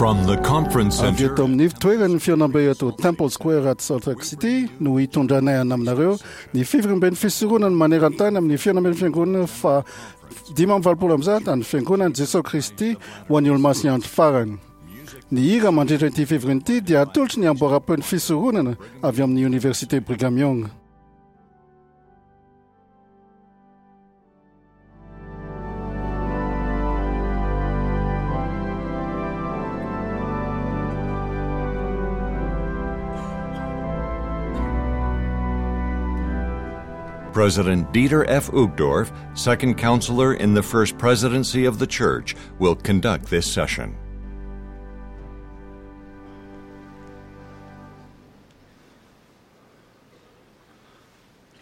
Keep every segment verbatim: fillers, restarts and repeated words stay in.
From the conference Avy center eto amin'ny toeran'ny fihaonambe eto Temple Square at Salt Lake City no hitondranay ana aminareo ny fivoriamben'ny fisoronana maneran-tany amin'ny fihaonamben'ny fiangonana fa dimy amby valopolo amby zato an'ny fiangonan'i Jesosy Kristy ho an'ny olomasin'ny andro farany. Ny hira mandritra ity fivoriana ity dia atolotry ny amboaram-peon'ny fisoronana avy amin'ny Université Brigham Young. President Dieter F. Uchtdorf, second counselor in the First Presidency of the Church, will conduct this session.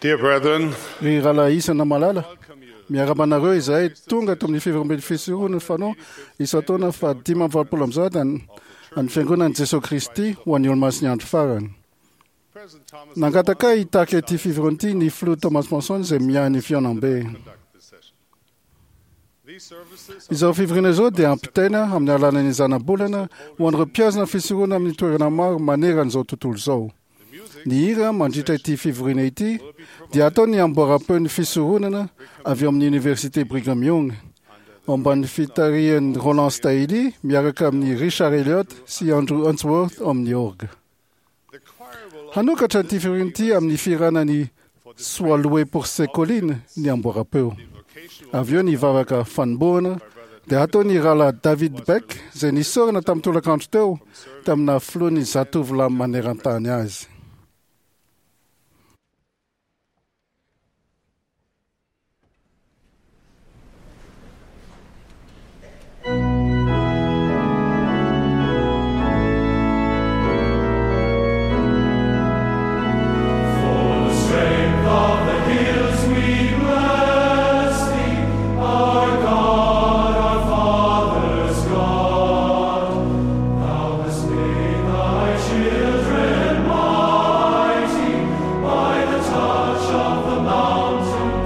Dear brethren, Ry rahalahy isana malala, miarahaba anareo izahay tonga ato amin'ny fivoriamben'ny fisoronana fanao isan-taona fa dimy amby valopolo amby zato an- an'ny fiangonan'i Jesosy Kristy ho an'ny olomasin'ny andro farany. Nangataka ahy hitarika ity fivoriana ity ny filoha Thomas Monson izay miahy ny fihaonambe. Izao fivoriana izao dia ampitaina amin'ny alalan'ny zanabolana ho an'ireo mpiazona fisoronana amin'ny toerana maro maneran'izao tontolo izao. Ny hira mandritra ity fivoriana ity dia atao ny amboaram-peon'ny fisoronana avy ao amin'ny Université Brigham Young ao ambanin'ny fitarihan'i Roland Staley miaraka amin'ny Richard Elliott sy Andrew Unsworth ao amin'ny orgue. Hanokatra ity fivoriana ity amin'ny fihirana ny Sois loué pour ses collines ny amboaram-peo. Avy eo ny vavaka fanombohana dia atao ny rahalahy David Beck izay nisorana tamin'ny tolakandro teo tamina filohan'ny zatovolahy maneran-tany azy. Children mighty by the touch of the mountain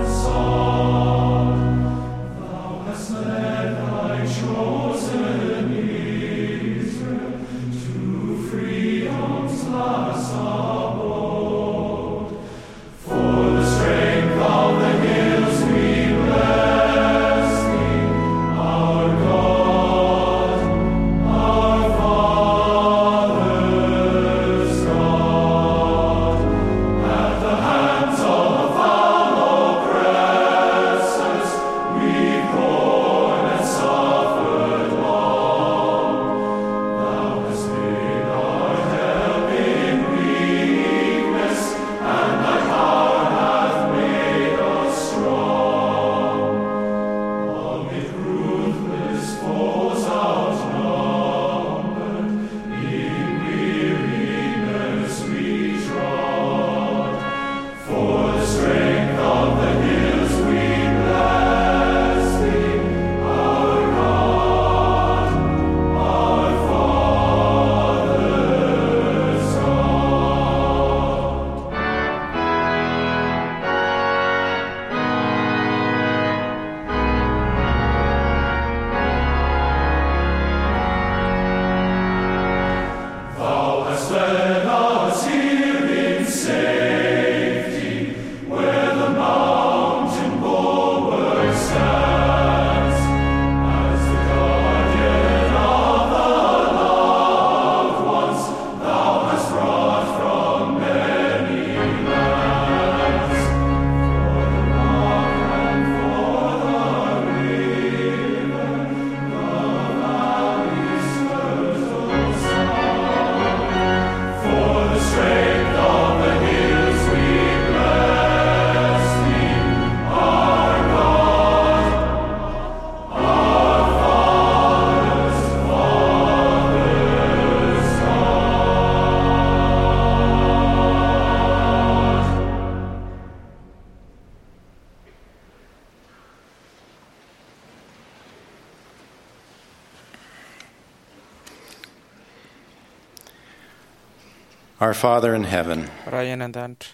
Our Father in heaven, Ray any an-danitra,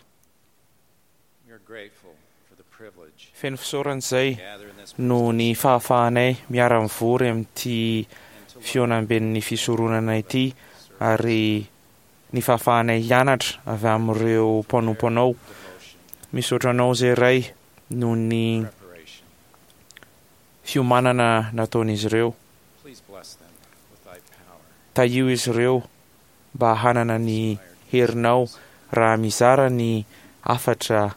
we are grateful for the privilege feno fisaorana izay to gather in this noho ny fahafahanay miara-mivory amin'ity and to fihaonamben'ny fisoronana ity ary ny fahafahanay hianatra avy amin'ireo mpanompo anao. Misaotra anao izay Ray noho ny fiomanana nataon'izy ireo. Tahio izy ireo mba hanana ny herinao raha mizara ny hafatra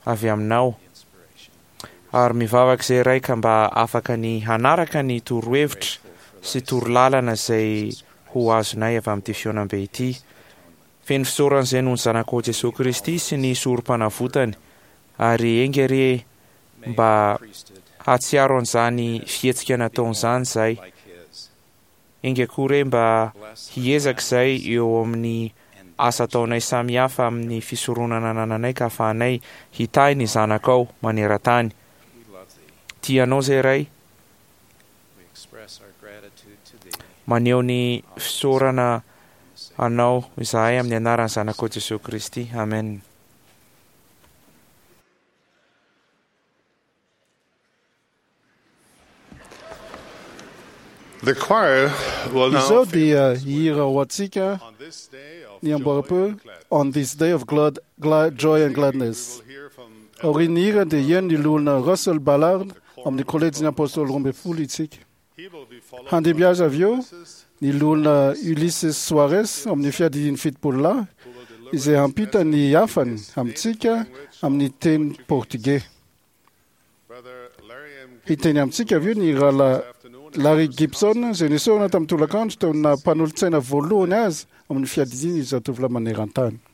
avy aminao. Ary mivavaka izay Ray ka mba afaka ny hanaraka ny torohevitra sy torolalana izay ho azonay avy amin'ity fihaonambe ity. Feno fisaorana izay noho ny Zanakao Jesoa Kristy sy ny sorom-panavotany, ary enga re mba hahatsiaro an'izany fihetsika nataon'izany izay. Enga koa re mba hiezaka izay eo amin'ny asa ataonay samihafa amin'ny fisoronana anananay ka ahafahanay hitahy ny Zanakao maneran-tany. Tianao izay Ray, maneho ny fisaorana anao izahay amin'ny anaran'ny Zanakao Jesoa Kristy. Amen. The choir will now Izao dia hihira ho antsika on this day of ny joy amboara-peo and gladness. On this day of glad, glad, joy and gladness. We will hear from Aorian'ny hira dia hihaino ny loholona Russell Ballard amin'ny kolejin'ny apôstôly roa ambin'ny folo isika. He will be followed Handimby azy avy eo Mrs. ny loholona Ulysses Soares amin'ny fiadidian'ny fitopolo lahy izay hampita ny hafany amintsika amin'ny teny portugais. Brother Larry M. Hiteny amintsika avy eo ny rahalahy Afternoon. Larry Gibson izay nisorona tamin'ny tolakandro teo amin'ny mpanolotsaina voalohany azy amin'ny fiadidiany zatovolahy maneran-tany. Thank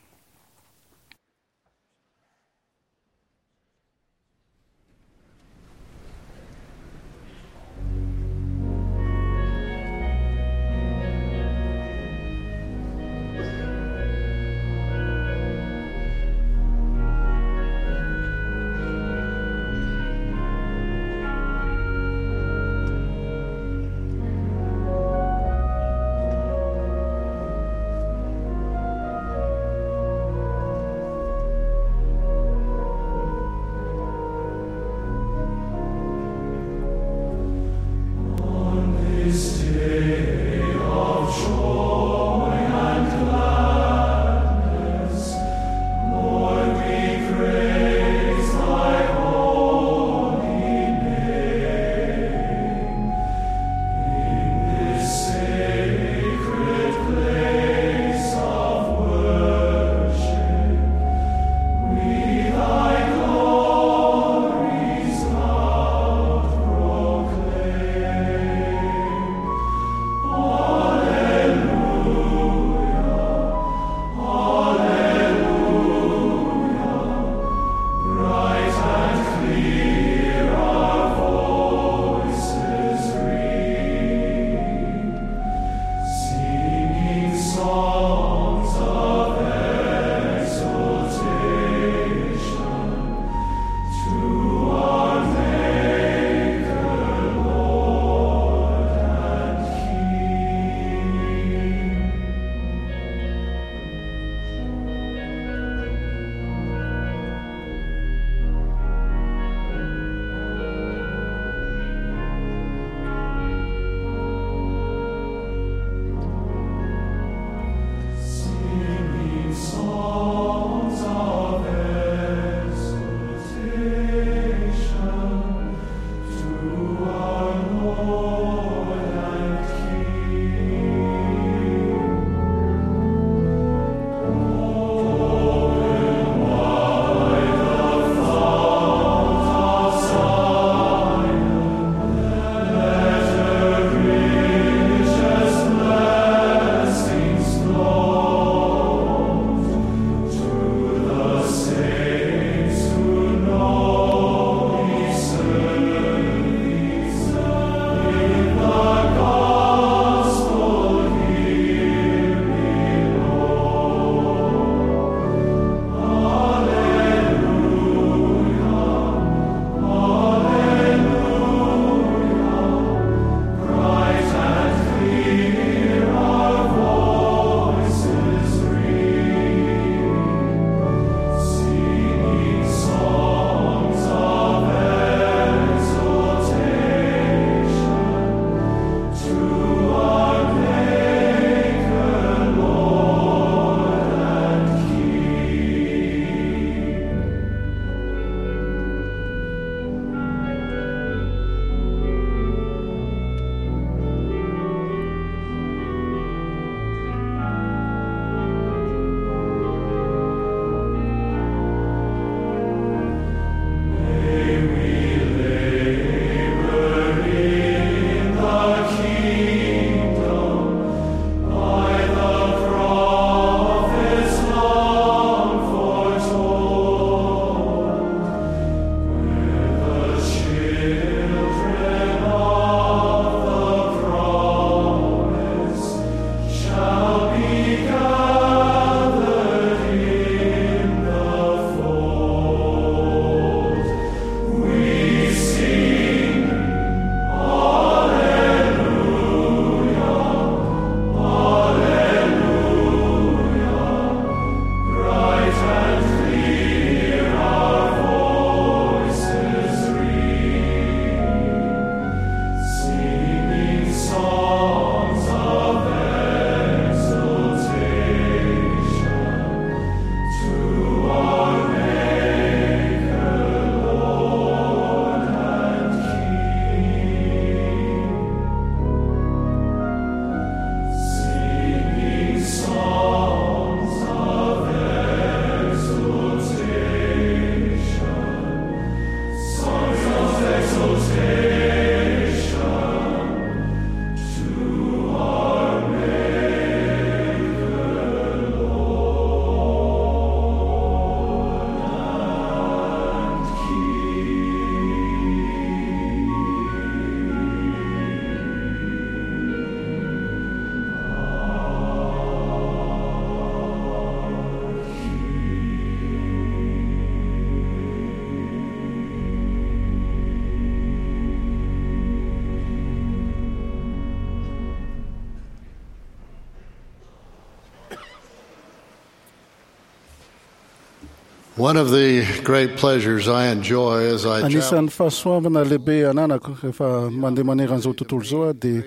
One of the great pleasures I enjoy as I travel Anisan'ny fahasoavana lehibe ananako rehefa mandeha maneran'izao tontolo izao aho dia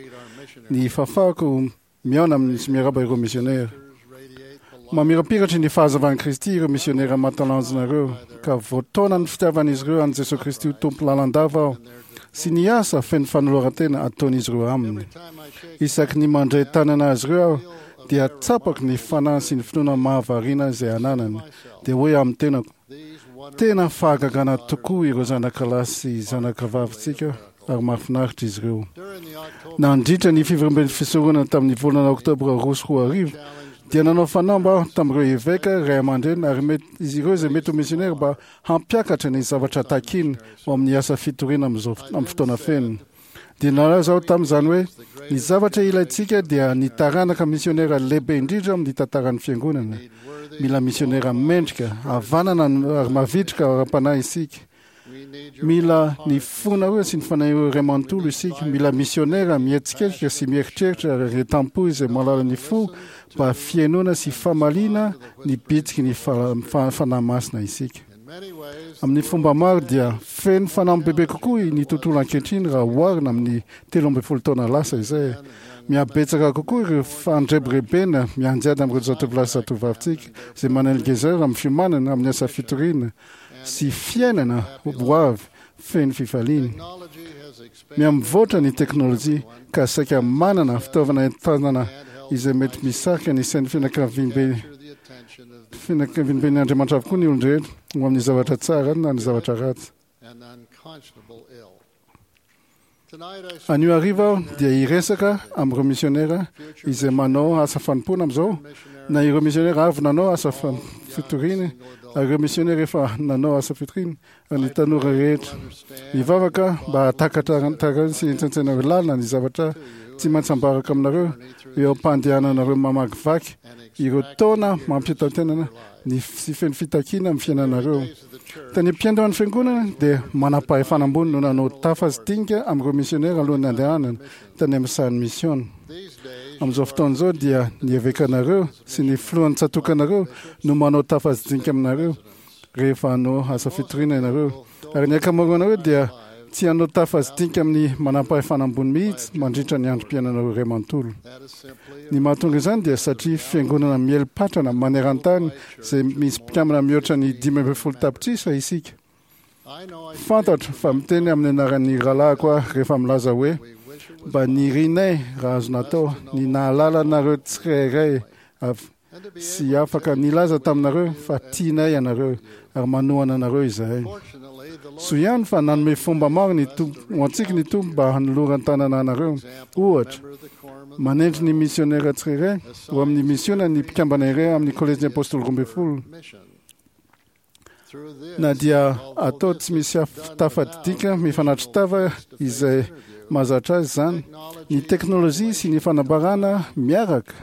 ny fahafahako mihaona amin'ny sy miarahaba ireo misionera. Mamirapiratra ny fahazavan'i Kristy ireo misionera mahatalanjona ireo, ka voataona ny fitiavan'izy ireo an'i Jesosy Kristy ho Tompo lalandava aho sy ny asa feno fanoloran-tena ataon'izy ireo aminy. Isaky ny mandray tanana azy ireo aho dia tsapako ny fanahy sy ny finoana mahavariana izay ananany, dia hoe amin'ny tenako: tena fahagagana tokoa ireo zanakalahy sy zanakavavintsika ary mahafinaritra izy ireo. Nandritra ny fivoriamben'ny fisoronana tamin'ny volana oktobra roa sy roa arivo dia nanao fanamby aho tamin'ireo eveka, ray aman-dreny ary mety izy ireo izay mety ho misionera mba hampiakatra ny zavatra takiny ho amin'ny asa fitoriana amin'izao amin'ny fotoana feno. Dia nalaza aho tamin'izany hoe ny zavatra ilaintsika dia ny taranaka misionera lehibe indrindra amin'ny tantaran'ny fiangonana. Mila misionera mendrika, havanana ary mavitrika ara-panahy isika. Mila ny fonareo sy ny fanahinareo iray manontolo isika. Mila misionera mihetsiketsika sy mieritreritra ary retampo izay mahalala ny fo mba fihainoana sy famaliana ny bitsiky ny fanahy masina isika. Amin'ny fomba maro dia feno fanamby bebe kokoa ny tontolo ankehitriny raha oharina amin'ny telo ambin'ny folo taona lasa izay. Mihabetsaka kokoa ireo fandrebirebena mianjady amin'ireo zatovolahy sy zatovavintsika izay manelingezera amin'ny fiomanana amin'ny asa fitoriana sy fiainana ho avy feno fifaliana. Mihamivoatra ny teknôlôjia ka saika manana fitaovana entanana izay mety misarika ny sain'ny fianakaviambe fianakaviamben'ny Andriamanitra avokoa ny olon-drehetra ho amin'ny zavatra tsara na ny zavatra ratsy. and unconscionable ill. Tonight I Anio hariva aho dia hiresaka amin'ireo misionera izay manao asa fanompoana amin'izao, na ireo misionera avy nanao asa fan- fitoriana, ary ireo misionera efa nanao asa fitoriana, ary ny tanora rehetra. Mivavaka mba hahatakatra taka sy hentsaintsainareo lalina ny zavatra tsy maintsy ambarako aminareo eo am-pandehananareo mamakivaky ireo taona mampitantenana ny sy feno fitakiana amin'ny fiainanareo. Tany am-piandohan'ny fiangonana dia manam-pahefana ambony no nanao tafa sy dinika amin'ireo misionera alohan'ny andehanana tany amin'ny sahan'ny misiona. Amin'izao fotoana izao dia ny evekanareo sy ny filohan'ny tsatòkanareo no manao tafa sy dinika aminareo rehefa hanao asa fitoriana ianareo. Ary ny ankamaroanareo dia tsy hanao tafa sy dinika amin'ny manam-pahefana ambony mihitsy mandritra ny androm-piainanareo iray manontolo. Ny mahatonga izany dia satria fiangonana mieli-patrana maneran-tany izay misy mpikambana mihoatra ny dimy ambin'ny folo tapitrisa isika. Fantatro fa miteny amin'ny anaran'ny rahalahiko aho rehefa milaza hoe mba nirinay raha azo natao ny nahalala anareo tsirairay avy sy afaka nilaza taminareo fa tianay ianareo ary manohana anareo izahay. Soa ihany fa nanome fomba maro ny Tompo ho antsika ny Tompo mba hanoloran-tanana anareo. Ohatra, manendry ny misionera tsirairay ho amin'ny misiona ny mpikambana iray amin'ny kolejin'ny apôstôly roa ambin'ny folo. mission. Through this, Na dia atao tsy misy af- tafadidika mifanatri-tava izay mahazatra azy izany, ny teknôlôjia sy ny fanambarana miaraka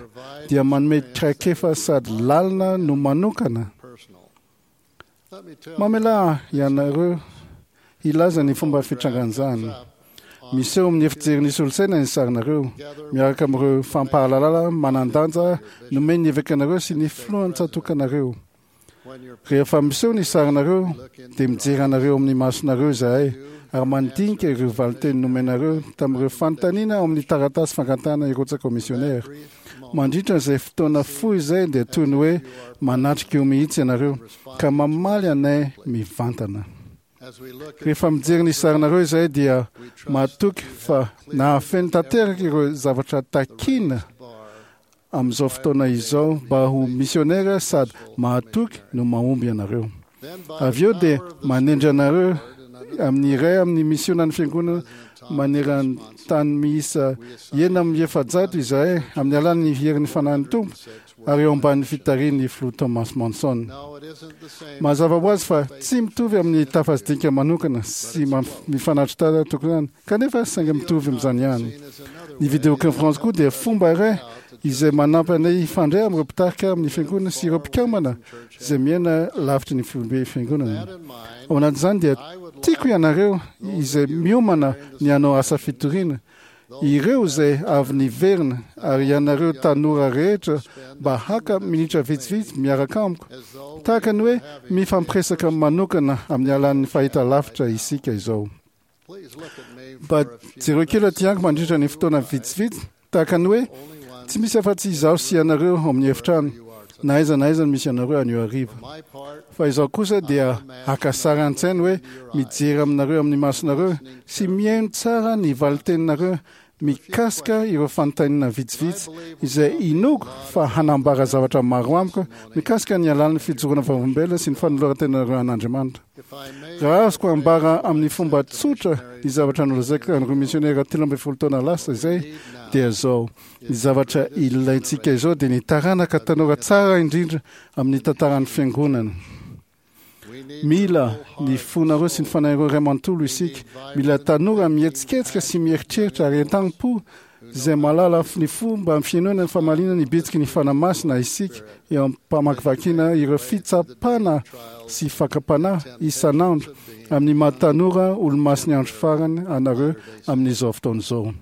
dia manome traikefa sady lalina no manokana. personal. Let me tell you, Mamelà ianareo hilaza ny fomba fitrangan'izany. Miseho amin'ny efijerin'ny solosaina ny sarinareo, miaraka amin'ireo fampahalalana manan-danja nomen'ny evekanareo sy ny filohan'ny tsatòkanareo. when you're Rehefa miseho ny sarinareo dia mijery anareo amin'ny masonareo izahay ary mandinika ireo valinteny nomenareo tamin'ireo fanontaniana ao amin'ny taratasy fangatahana hirotsaka ho misionera. Mandritra izay fotoana fohy izay dia toy ny hoe manatrika eo mihitsy ianareo ka mamaly anay mivantana. as we look at Rehefa mijery ny sarinareo izahay dia matoky fa nahafeno tanteraka ireo zavatra takina bar amin'izao fotoana izao mba ho misionera sady mahatoky no mahomby ianareo. then by Avy eo dia manendry anareo amin'ny iray amin'ny misionan'ny fiangonana maneran-tany miisa enina amin'ny efajato izahay amin'ny alalan'ny herin'ny fanahin'ny Tompo ary eo ambanin'ny fitarihan'ny filoha Thomas Monson. no, it isn't the same. Mazava ho azy fa tsy mitovy amin'ny tafa sy dinika manokana sy mamp- mifanatri-tava tokony ihany, kanefa saingy mitovy amin'izany ihany. Is another Ny vidéoconférence koa dia fomba iray izay manampy anay hifandray amin'ireo mpitarika amin'ny fiangonana sy ireo mpikambana izay miaina lavitry ny foibe fiangonana. in mind, Ao anatin'izany dia tiako ianareo izay miomana ny hanao asa fitoriana ireo izay avy niverina ary ianareo tanora rehetra mba haka minitra vitsivitsy miaraka amiko, tahaka ny hoe mifampiresaka manokana amin'ny alalan'ny fahitalavitra isika izao. Mba jereo kely aty amiko mandritra ny fotoana vitsivitsy, tahaka ny hoe tsy misy afa-tsy izaho sy ianareo ao amin'ny efitrano, na aiza na aiza no misy anareo anio hariva. Fa izaho kosa dia haka sary an-tsaina hoe mijery aminareo amin'ny masonareo sy mihaino tsara ny valin-teninareo mikasika ireo fanontaniana vitsivitsy izay inoako fa hanambara zavatra maro amiko mikasika ny alalan'ny fijoroana vavolombelona sy ny fanoloran-tenanareo an'Andriamanitra. Raha azoko ambara amin'ny fomba tsotra ny zavatra nolazaiko an'ireo misionera telo ambin'ny folo taona lasa izay dia izao: ny zavatra ilaintsika izao dia ny taranaka tanora tsara indrindra amin'ny tantaran'ny fiangonana. Mila ny fonareo sy ny fanahinareo iray manontolo isika. Mila tanora mihetsiketsika sy mieritreritra ary entanam-po izay mahalala ny fomba fihainoana ny famaliana ny bitsiky ny Fanahy Masina isika eo am-pamakivakiana ireo fitsapana sy fakam-panahy isan'andro amin'ny maha tanora olomasin'ny andro farany anareo amin'izao fotoana izao.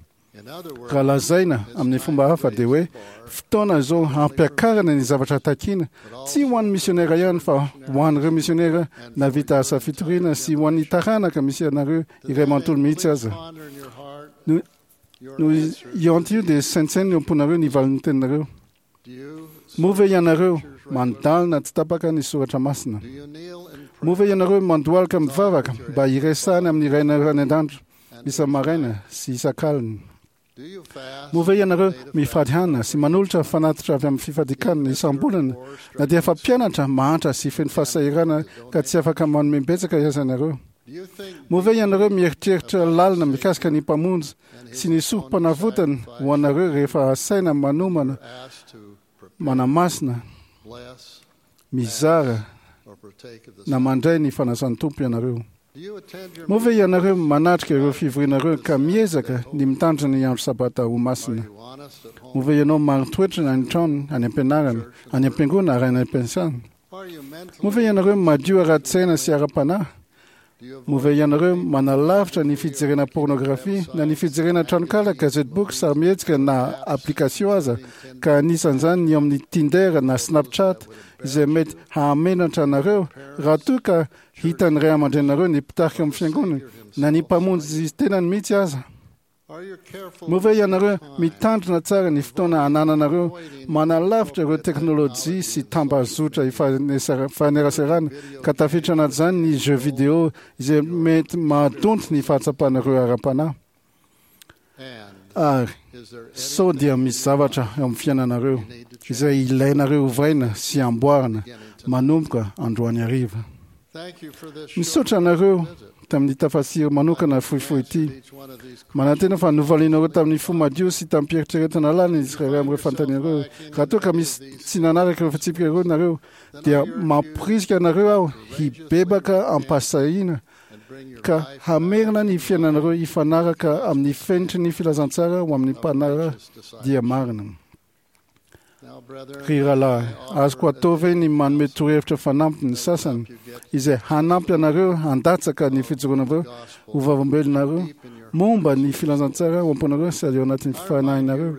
Raha lazaina amin'ny fomba hafa dia hoe fotoana izao hampiakarana ny zavatra takiana, tsy ho an'ny misionera ihany fa ho an'ireo misionera nahavita asa fitoriana sy ho an'ny taranaka misy anareo iray manontolo mihitsy aza. No, no io anty io dia saintsaino eo am-ponareo ny valin'ny teninareo. Moa ve ianareo mandalina tsy tapaka ny soratra masina? Moa ve ianareo mandohalika mivavaka mba hiresahana amin'ny Rainareo any an-danitra isa-maraina sy isan-kalina? Moa ve ianareo mifady hanina sy manolotra fanatitra avy amin'ny fifadikanana isam-bolana na dia efa mpianatra mahantra sy feno fahasahiranana ka tsy afaka manome betsaka aza ianareo? Moa ve ianareo mieritreritra lalina mikasika ny Mpamonjy sy ny sorom-panavotany ho anareo rehefa asaina manomana, manamasina, mizara na mandray ny fanasan'ny Tompo ianareo? Moa ve ianareo manatrika ireo fivorianareo ka miezaka ny mitandrina ny andro sabata ho masina? Moa ve ianao marin-toetra any an-trano, any am-pianarana, any am-piangonana ary any am-piasana? Moa ve ianareo madio ara-tsaina sy ara-panahy? Moa ve ianareo manalavitra ny fijerena pornografia na ny fijerena tranonkala, gazety-boky, sarimihetsika na application aza, ka anisan'izany ny eo amin'ny Tinder na Snapchat izay mety hahamenatra anareo raha toa ka hitan'ny ray aman-dreninareo ny mpitarika amin'ny fiangonana na ny mpamonjy tenany mihitsy aza? Moa ve ianareo mitandrina tsara ny fotoana anananareo manalavitra ireo teknolojia sy tambazotra ifaneraserana, ka tafiditra anatin'izany ny jeux vidéo izay mety mahadonto ny fahatsapanareo ara-panahy? Ary sao dia misy zavatra eo amin'ny fiainanareo izay ilainareo ovaina sy amboarina manomboka androany hariva? Misaotra anareo tamin'ny tafasiry manokana fohifohy ity. Manantena fa novalianareo tamin'ny fo madio sy tamim-pieritreretana lalina izy tsirairay amin'ireo fanontaniana ireo. Raha toa ka misy tsy nanaraka ireo fitsipika ireo nareo, dia mamporisika anareo aho hibebaka am-pahasahiana ka hamerina ny fiainanareo hifanaraka amin'ny fenitry ny filazantsara ho amin'ny mpanara-dia marina. Ry rahalahy, azoko atao ve ny manome torohevitra fanampiny ny sasany izay hanampy anareo handatsaka ny fijoroanareo ho vavolombelonareo momba ny filazantsara ao am-ponareo sy ao anatin'ny fanahinareo?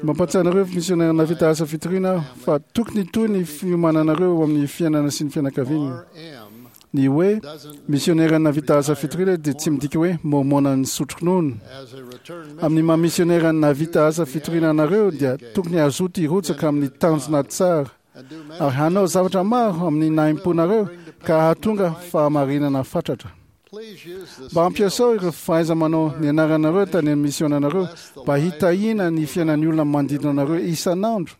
Mampahatsiahy anareo misionera nahavita asa fitoriana aho fa tokony hitohy ny fiomananareo eo amin'ny fiainana sy ny fianakaviana. Ny hoe misionera nahavita asa fitoriana dia tsy midika hoe mormona nisotro ronono. Amin'ny maha misionera nahavita asa fitoriana anareo dia tokony hazoto hirotsaka amin'ny tanjona tsara ary hanao zavatra maro amin'ny nahim-ponareo ka hahatonga fahamarinana fatratra. Mba ampiasao ireo fahaiza-manao nianaranareo tany amin'ny misionanareo mba hitahiana ny fiainan'ny olona manodidina anareo isan'andro.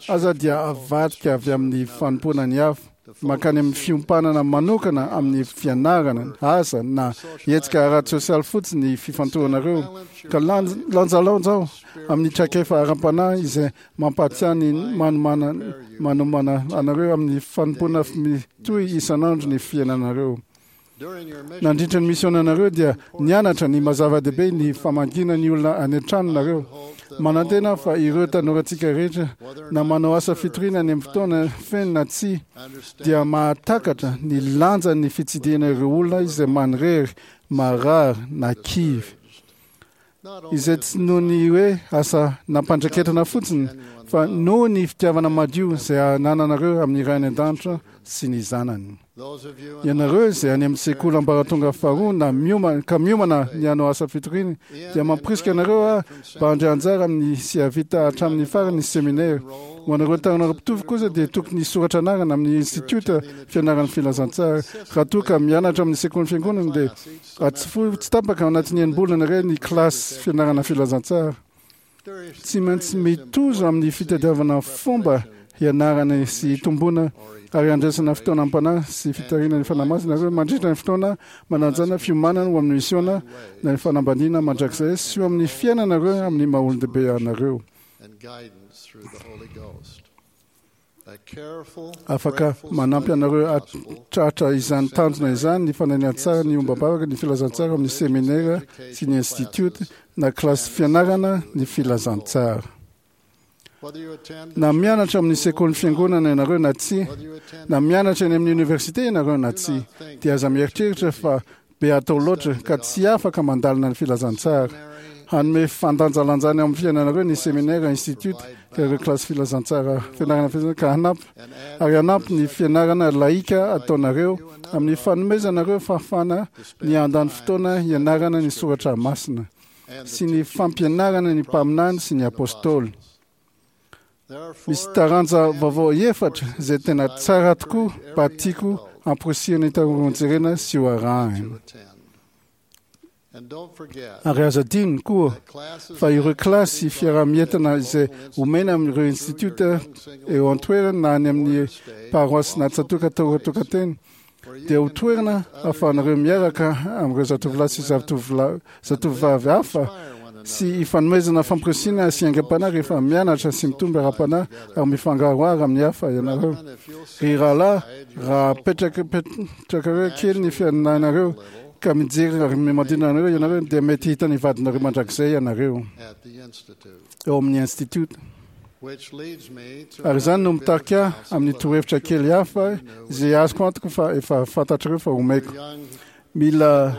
Aza dia avadika avy amin'ny fanompoana ny hafa, mankany amin'ny fiompanana manokana amin'ny fianarana, asa na hetsika ara-tsosialy fotsiny ny fifantohanareo, ka lanjalanjao amin'ny traikefa ara-panahy izay mampahatsiahy ny manomana manomana anareo amin'ny fanompoana mitohy isan'andro ny fiainanareo. Nandritra ny misionanareo dia nianatra ny maha-zava-dehibe ny famangiana ny olona any an-tranonareo. Manantena aho fa ireo tanorantsika rehetra, na manao asa fitoriana any amin'ny fotoana feno na tsia, dia mahatakatra ny lanjan'ny fitsidihana ireo olona izay manirery, marary na kivy. Izay tsy noho ny hoe asa nampandraketana fotsiny, fa noho ny fitiavana madio izay anananareo amin'ny Ray any an-danitra sy ny zanany. Ianareo izay any amin'ny sekoly ambaratonga faharoa na miomana ka miomana ny hanao asa fitoriana, dia mampirisika anareo aho mba handray anjara amin'ny sy hahavita hatramin'ny farany ny seminera. Ho anareo tanora mpitovo kosa dia tokony hisoratra anarana amin'ny institiota fianaran'ny filazantsara. Raha toa ka mianatra amin'ny sekolin'ny fiangonana dia atsofohy tsy tapaka ao anatin'ny enim-bolana iray ny kilasy fianarana filazantsara. Tsy maintsy mitozo amin'ny fitadiavana fomba hianarana sy hitomboana ary handraisana fotoana am-panahy sy fitarihana ny Fanahy Masina nareo mandritra ny fotoana mananjana fiomanana ho amin'ny misiona na ny fanambadiana mandrakizay sy ho amin'ny fiainanareo amin'ny maha olon-dehibe anareo. Afaka manampy anareo hatratra izany tanjona izany ny fananian-tsara ny ombam-bavaka, ny filazantsara amin'ny seminera sy ny institiota na kilasy fianarana ny filazantsara. Na mianatra amin'ny sekolin'ny fiangonana ianareo na tsia, na mianatra eny amin'ny oniversite ianareo na tsia, dia aza mieritreritra fa be atao loatra ka tsy afaka mandalina ny filazantsara. Hanome fandanjalanjana eo amin'ny fiainanareo ny seminera, institiota, ka ireo kilasy filazantsara, fianarana filazantsara, ka hanampy ary hanampy ny fianarana laika ataonareo amin'ny fanomezanareo fahafahana ny handany fotoana hianarana ny soratra masina sy ny fampianarana ny mpaminany sy ny apôstôly. Misy taranja vaovao efatra izay tena tsara tokoa mba tiako hamporisihana ny taoron-jerena sy ho arahina. Ary aza adino koa fa ireo kilasy fiaraha-mientana izay omena amin'ireo institiota eo an-toerana na any amin'ny paroasy na tsatòka tokan-tena dia ho toerana ahafahanareo miaraka amin'ireo zatovolahy sy zatovovavy hafa sy hifanomezana famporisihana sy aingam-panahy rehefa mianatra sy mitombo ara-panahy ary mifangaroharo amin'ny hafa ianareo. Ry rahalahy, raha apetrakareo kely ny fiainanareo ka mijery ary manodidina anareo ianareo, dia mety hahita ny vadinareo mandrakizay ianareo eo amin'ny institiota. Ary izany no mitarika ahy amin'ny torohevitra kely hafa izay azoko antoka fa efa fantatrareo fa omeko. Mila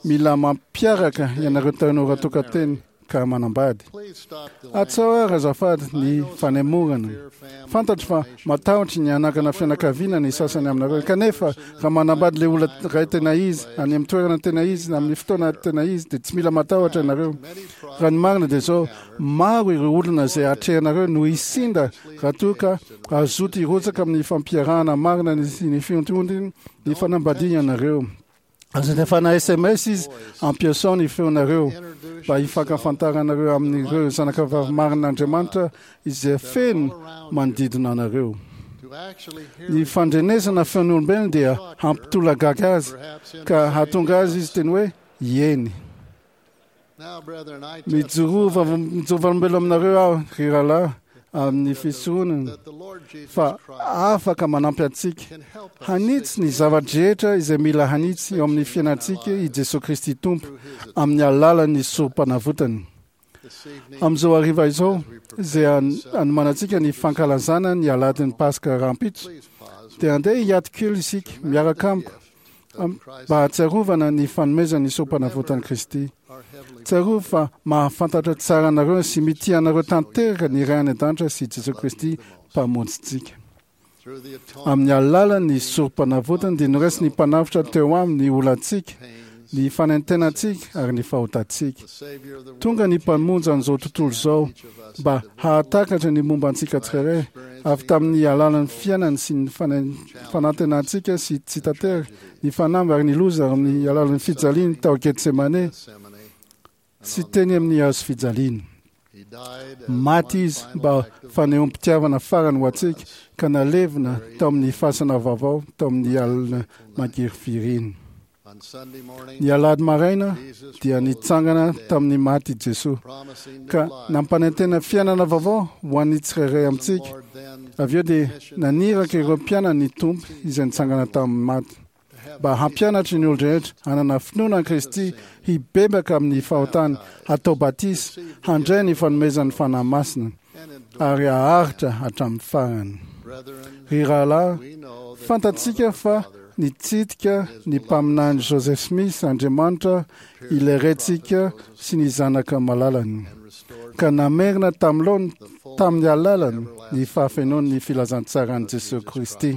mila mampiaraka ianareo tanora tokan-teny ka manambady. Atsao ary azafady ny fanemorana. Fantatro fa matahotra ny hanangana fianakaviana ny sasany aminareo, kanefa raha manambady ilay olona iray tena izy, any amin'ny toerana tena izy, na amin'ny fotoana tena izy, dia tsy mila matahotra ianareo. Raha ny marina dia izao, maro ireo olona izay atrehanareo no hisinda raha toa ka hazoto hirotsaka amin'ny fampiarahana marina sy ny fiontion'ny ny fanambadiana ianareo. Aza alefana S M S izy, ampiasao ny feonareo mba hifankafantaranareo amin'ireo zanakavavy marin'Andriamanitra izay feno manodidina anareo. Ny fandrenesana feon'olombelona dia hampitolagaga azy ka hahatonga azy izy teny hoe ieny. Mijoroa vavolombelona aminareo aho, ry rahalahy, amin'ny fisoronana fa afaka manampy antsika hanitsy ny zava-drehetra izay mila hanitsy eo amin'ny fiainantsika i Jesoa Kristy Tompo amin'ny alalan'ny sorom-panavotany. Amin'izao hariva izao, izay anomanantsika ny fankalazana ny alahadin'ny Paska rahampitso, dia andeha hiato kely isika miaraka amiko mba hahatsiarovana ny fanomezan'ny sorom-panavotan'i Kristy. Tsarovy fa mahafantatra tsara anareo sy mitia anareo tanteraka ny Ray any an-danitra sy Jesoa Kristy Mpamonjintsika. Amin'ny alalan'ny sorom-panavotany dia noraisin'ny Mpanavotra teo aminy ny olantsika, ny fanentenantsika ary ny fahotantsika. Tonga ny Mpamonjy an'izao tontolo izao mba hahatakatra ny momba antsika tsirairay avy tamin'ny alalan'ny fiainany sy ny fanantenantsika sy tsy tanteraka, ny fanamby ary ny loza ary amin'ny alalan'ny fijaliany tao Getsemane sy teny amin'ny hazo fijaliana. Maty izy mba fanehoam-pitiavana farany ho antsika ka nalevina tao amin'ny fasana vaovao tao amin'ny alina mangirifiriny. Ny alahady maraina dia nitsangana tamin'ny maty i Jesoa ka nampanantena fiainana vaovao ho an'ny tsirairay amintsika. Avy eo dia naniraka ireo mpianany ny Tompo izay nitsangana tamin'ny maty mba hampianatra ny olon-drehetra hanana finoana an'i Kristy, hibebaka amin'ny fahotany, hatao batisa, handray ny fanomezan'ny Fanahy Masina ary haharitra hatramin'ny farany. Ry rahalahy, fantatsika fa Nitsidika ny mpaminany Joseph Smith Andriamanitra ilay Raintsika sy ny zanaka malalany, ka namerina tamin'ny tamin'ny alalany ny fahafenoan'ny filazantsaran'i Jesosy Kristy.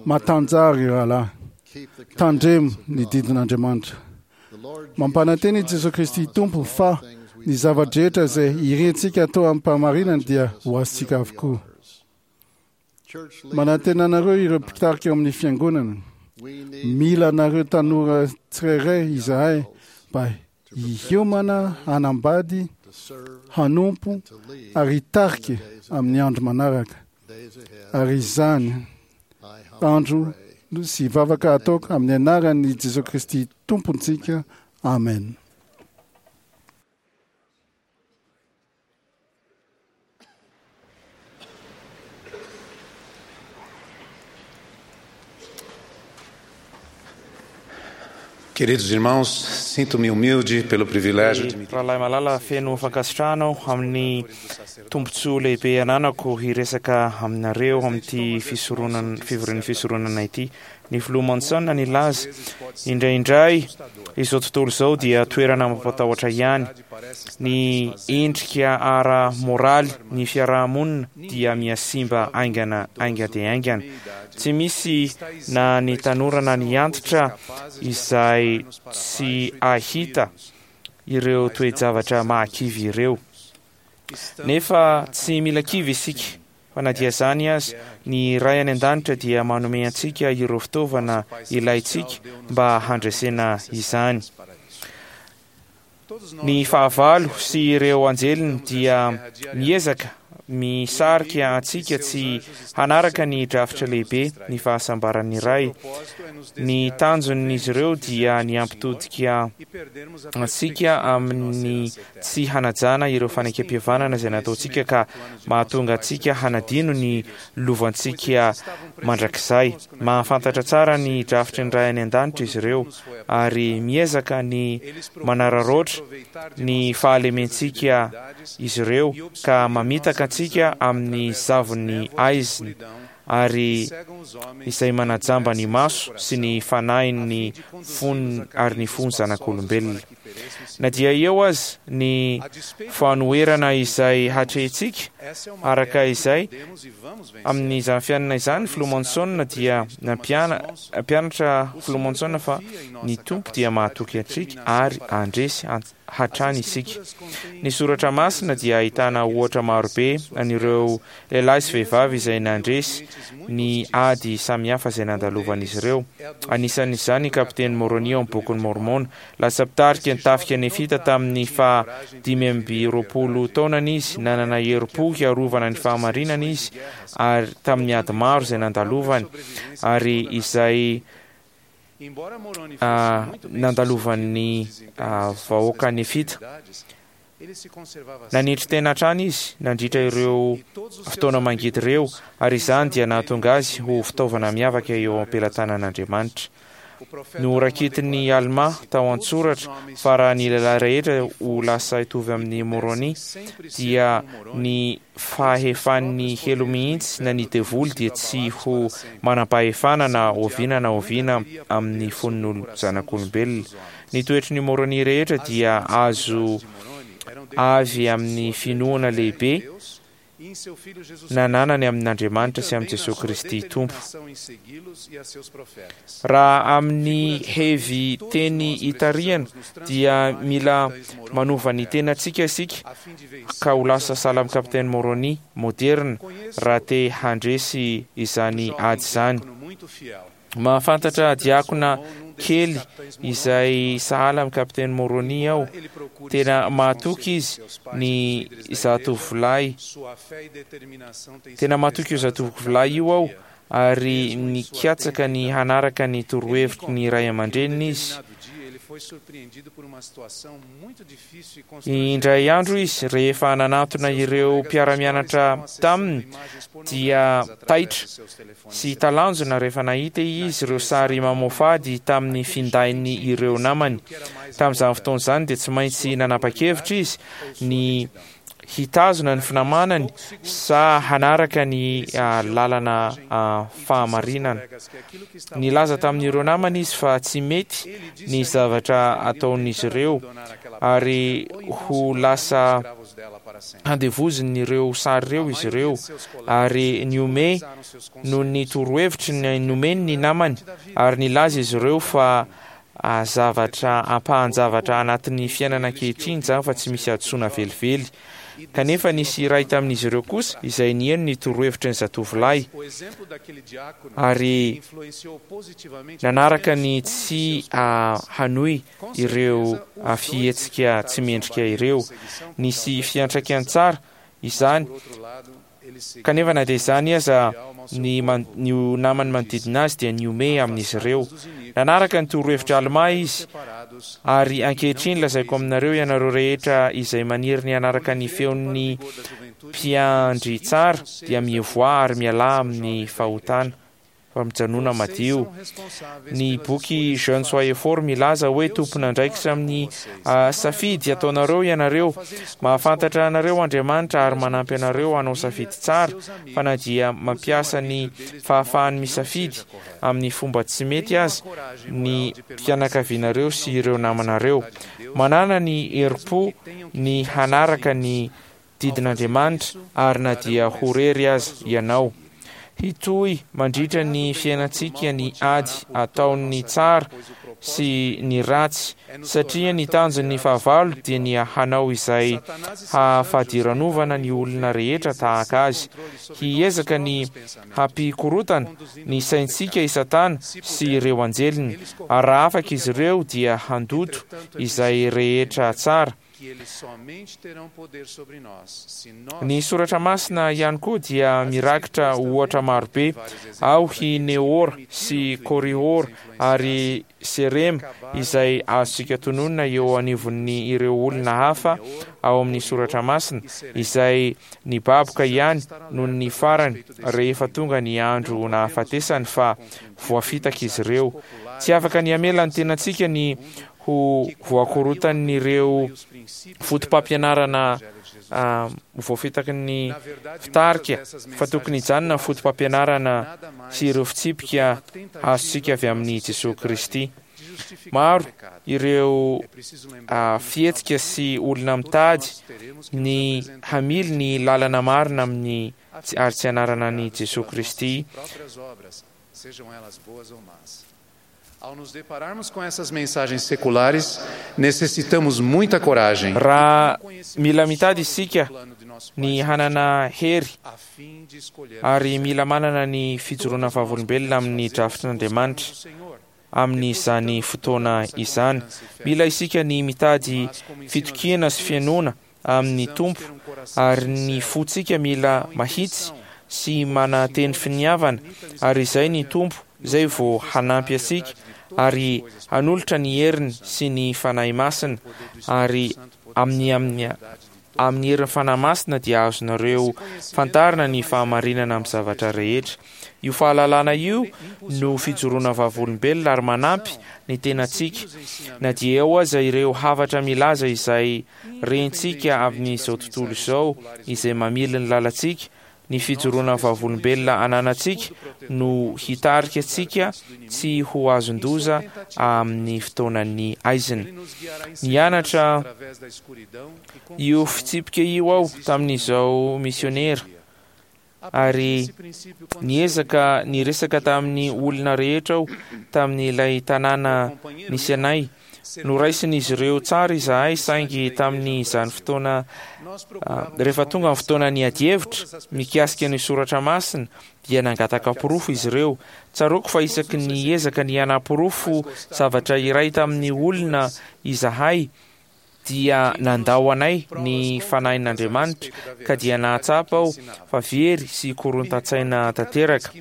Matanjary rahalahy, tandremo ny didin'Andriamanitra. Mampanantena i Jesosy Kristy Tompo fa ny zava-drehetra izay irintsika atao amim-pahamarinana dia ho azontsika avokoa. Manantena anareo ireo mpitarika eo amin'ny fiangonana. Mila anareo tanora tsirairay izahay mba hiomana hanambady, hanompo ary hitarika amin'ny andro manaraka. Ary izany andro sy vavaka ataoko amin'ny anaran'i Jesosy Kristy Tompontsika. Amen. Queridos irmãos, sinto-me humilde pelo privilégio de me Rahalahy malala, feno fankasitrahana aho amin'ny tombontsoa lehibe ananako hiresaka aminareo amin'ity fisoronana fivorian'ny fisoronana ity. Ny filoha Monson nilaza indraindray izao tontolo izao dia toerana mampatahotra ihany. Ny endrika ara-moraly ny fiarahamonina dia mihasimba haingana hainga dia haingana. Tsy misy na ny tanora na ny antitra izay tsy ahita ireo toe-javatra mahakivy ireo. Nefa tsy mila kivy isika, fa na dia izany aza, ny Ray any an-danitra dia manome antsika ireo fitaovana ilaintsika mba handresena izany. Ny fahavalo sy ireo anjeliny dia miezaka misarika antsika tsy hanaraka ny drafitra lehibe ny fahasambaran'ny Ray. Ny tanjon'izy ireo dia ny hampitodika antsika amin'ny tsy hanajana ireo fanekempihavanana izay nataontsika ka mahatonga antsika hanadino ny lovantsika mandrakizay. Mahafantatra tsara ny drafitry ny Ray any an-danitra izy ireo ary miezaka ny manararaotra ny fahalementsika izy ireo ka mamitaka antsika amin'ny zavon'ny aizina ary izay manajamba ny maso sy ny fanahin'ny fony ary ny fony zanak'olombelona. Na dia eo aza ny fanoherana izay hatrehintsika araka izay amin'izany fiainana izany, filoha Monson dia nampianatra filoha Monson fa ny Tompo dia mahatoky antsika ary handresy hatrany isika. Ny soratra masina dia ahitana ohatra marobe an'ireo lehilahy sy vehivavy izay nandresy ny ady samihafa izay nandalovan'izy ireo. Anisan'izany kapiteny Moroni ao amin'ny bokin'i Mormona. Lasa mpitarika ny tafika nefita tamin'ny faha dimy amby roapolo taonany izy. Nanana herim-po hiarovana ny fahamarinana izy ary tamin'ny ady maro izay nandalovany ary izay nandalovan'ny vahoaka nefita. Nanetry tena hatrany izy nandritra ireo fotoana mangidy ireo ary izany dia nahatonga azy ho fitaovana miavaka eo am-pelatanan'Andriamanitra. Noraketin'ny Alma tao an-tsoratra fa raha ny lehilahy rehetra ho lasa hitovy amin'ny Moroni dia ny fahefan'ny helo mihitsy na ny devoly dia tsy ho manam-pahefana na oviana na oviana amin'ny fon'olo zanak'olombelona. Ny toetry ny Moroni rehetra dia azo avy amin'ny finoana lehibe nananany amin'Andriamanitra sy amin'i Jesosy Kristy Tompo. Raha amin'ny hevy teny itarihana dia mila manova ny tenantsika isika ka ho lasa sahala amin'ny kapiteny Moroni moderna raha te handresy izany ady izany. Mahafantatra diakona kely izay sahala amin'ny kapiteny Moroni aho. Tena mahatoky izy ny zatovolahy. Tena mahatoky io zatovolahy io aho ary nikatsaka ny hanaraka ny torohevitry ny ray aman-dreniny izy. Indray andro izy rehefa nanatona ireo mpiara-mianatra taminy dia taitra sy talanjona rehefa nahita izy ireo sary mamoafady tamin'ny findainy ireo namany. Tamin'izany fotoana izany dia tsy maintsy nanapa-kevitra izy ny Hitazona ny finamanany sa hanaraka ny lalana fahamarinana? Nilaza tamin'ireo namany izy fa tsy mety ny zavatra ataon'izy ireo ary ho lasa handevozin'ireo sary ireo izy ireo, ary nihomehy noho ny torohevitry nomeny ny namany, ary nilaza izy ireo fa zavatra ampahan-javatra anatin'ny fiainana ankehitriny izany fa tsy misy hadisoana velively. Kanefa nisy iray tamin'izy ireo kosa izay nihaino ny torohevitry ny zatovolahy ary nanaraka ny tsy hanohy ireo fihetsika tsy mendrika ireo. Nisy fiantraikany tsara izany, kanefa na dia izany aza ny ny namany manodidina azy dia nihomehy amin'izy ireo. Nanaraka ny torohevitra Almà izy, ary ankehitriny lazaiko aminareo ianareo rehetra izay maniry ny hanaraka ny feon'ny mpiandry tsara dia mivoaha ary mialà amin'ny fahotana fa mijanona madio. Ny boky Jeunes Soyez Forts milaza hoe tompon'andraikitra amin'ny safidy ataonareo ianareo. Mahafantatra anareo Andriamanitra ary manampy anareo hanao safidy tsara, fa na dia mampiasa ny fahafahany misafidy amin'ny fomba tsy mety aza ny fianakavianareo sy ireo namanareo. Manana ny herim-po ny hanaraka ny didin'Andriamanitra ary na dia ho rery aza ianao. Hitohy mandritra ny fiainantsika ny ady ataon'ny tsara sy ny ratsy, satria ny tanjon'ny fahavalo dia ny hanao izay hahafadiranovana ny olona rehetra tahaka azy. Hiezaka ny hampikorotana ny saintsika i Satana sy ireo anjeliny, ary raha afaka izy ireo dia handoto izay rehetra tsara. Ny soratra masina ihany koa dia mirakitra ohatra marobe ao i Nehor sy Korihor ary Serema izay azontsika tononina eo anivon'ny ireo olona hafa ao amin'ny soratra masina izay nibaboka ihany noho ny farany rehefa tonga ny andro nahafatesany fa voafitaka izy ireo. Tsy afaka ny hamela ny tenantsika ny ho voakorotan'ireo foto-pampianarana voafitaky ny fitarika, fa tokony hijanona ny foto-pampianarana sy ireo fitsipika azontsika avy amin'i Jesoa Kristy. Maro ireo fihetsika sy olona mitady ny hamily ny lalana marina amin'ny ary tsy anarana an'i Jesoa Kristy. Ao nos depararmos com essas mensagens seculares, necessitamos muita coragem. Raha mila mitady isika ny hanana hery ary mila manana ny fijoroana vavolombelona amin'ny drafitr'Andriamanitra amin'izany fotoana izany. Mila isika ny mitady fitokiana sy fihainoana amin'ny Tompo, ary ny fontsika mila mahitsy sy mananteny finiavana, ary izay ny Tompo izay vao hanampy antsika ary hanolotra ny heriny sy ny Fanahy Masina, ary amin'ny amin'ny amin'ny herin'ny Fanahy Masina dia azonareo fantarina ny fahamarinana amin'ny zavatra rehetra. Io fahalalana io no fijoroana vavolombelona ary manampy ny tenantsika na dia eo aza ireo hafatra milaza izay rentsika amin'izao tontolo izao izay mamily ny lalantsika. Ny fijoroana vavolombelona ananantsika no hitarika antsika tsy ho azon-doza amin'ny fotoanan'ny aizina. Nianatra io fitsipika io aho tamin'izao misionera, ary niezaka niresaka tamin'ny olona rehetra aho tamin'ilay tanàna nisy anay. Noraisin'izy ireo tsara izahay, saingy tamin'izany fotoana, rehefa tonga ny fotoana niady hevitra mikasika ny soratra masina, dia nangataka porofo izy ireo. Tsaroako fa isaky ny ezaka ny hanaporofo zavatra iray tamin'ny olona izahay, dia nandao anay ny Fanahin'Andriamanitra, ka dia nahatsapa aho fa very sy korontan-tsaina tanteraka.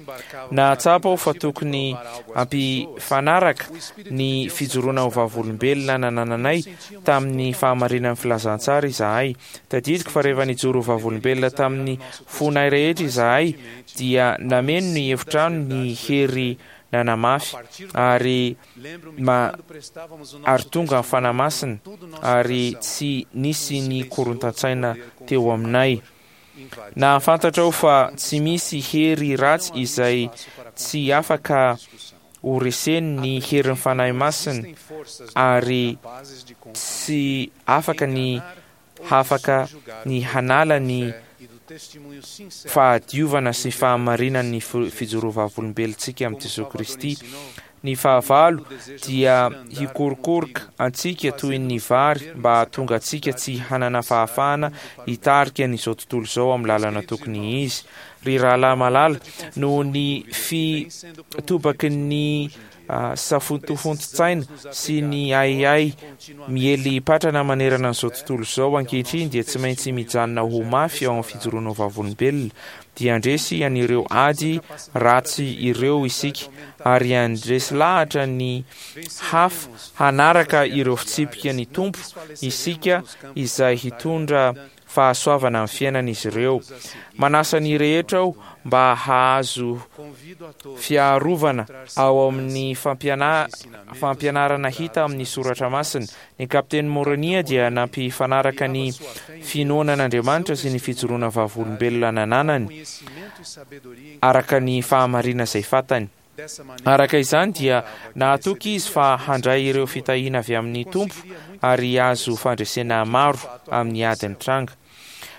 Nahatsapa aho fa tokony hampifanaraka ny fijoroana ho vavolombelona nanananay tamin'ny fahamarinan'ny filazantsara izahay. Tadidiko fa rehefa nijoro ho vavolombelona tamin'ny fonay rehetra izahay, dia nameno ny efitrano ny hery Nanamafy ary ma ary tonga ny Fanahy Masina, ary tsy nisy ny korontan-tsaina teo aminay. Nahafantatra aho fa tsy misy hery ratsy izay tsy afaka ho reseny ny herin'ny Fanahy Masina, ary tsy afaka ny hafaka ny hanala ny fahadiovana sy fahamarinan'ny fijoroana vavolombelontsika amin'i Jesosy Kristy. Ny fahavalo dia hikorokoroka antsika toy ny vary mba hahatonga antsika tsy hanana fahafahana hitarika an'izao tontolo izao amin'ny lalana tokony izy. Ry rahalahy malala, noho ny fitobaky ny safotofoton-tsaina sy ny ahiahy miely patrana manerana an'izao tontolo izao ankehitriny, dia tsy maintsy mijanona ho mafy ao amin'ny fijoroana vavolombelona. Dia handresy an'ireo ady ratsy ireo isika, ary handresy lahatra ny hafa hanaraka ireo fitsipika ny Tompo isika, izay hitondra fahasoavana amin'ny fiainan'izy ireo. Manasa ny rehetra aho mba hahazo fiarovana ao amin'ny fampiana- fampianarana hita amin'ny Soratra Masina. Ny kapiteny Moronia dia nampifanaraka ny finoana an'Andriamanitra sy ny fijoroana vavolombelona nananany araka ny fahamarina izay fantany. Araka izany dia nahatoky izy fa handray ireo fitahiana avy amin'ny Tompo ary hahazo fandresena maro amin'ny ady nitranga.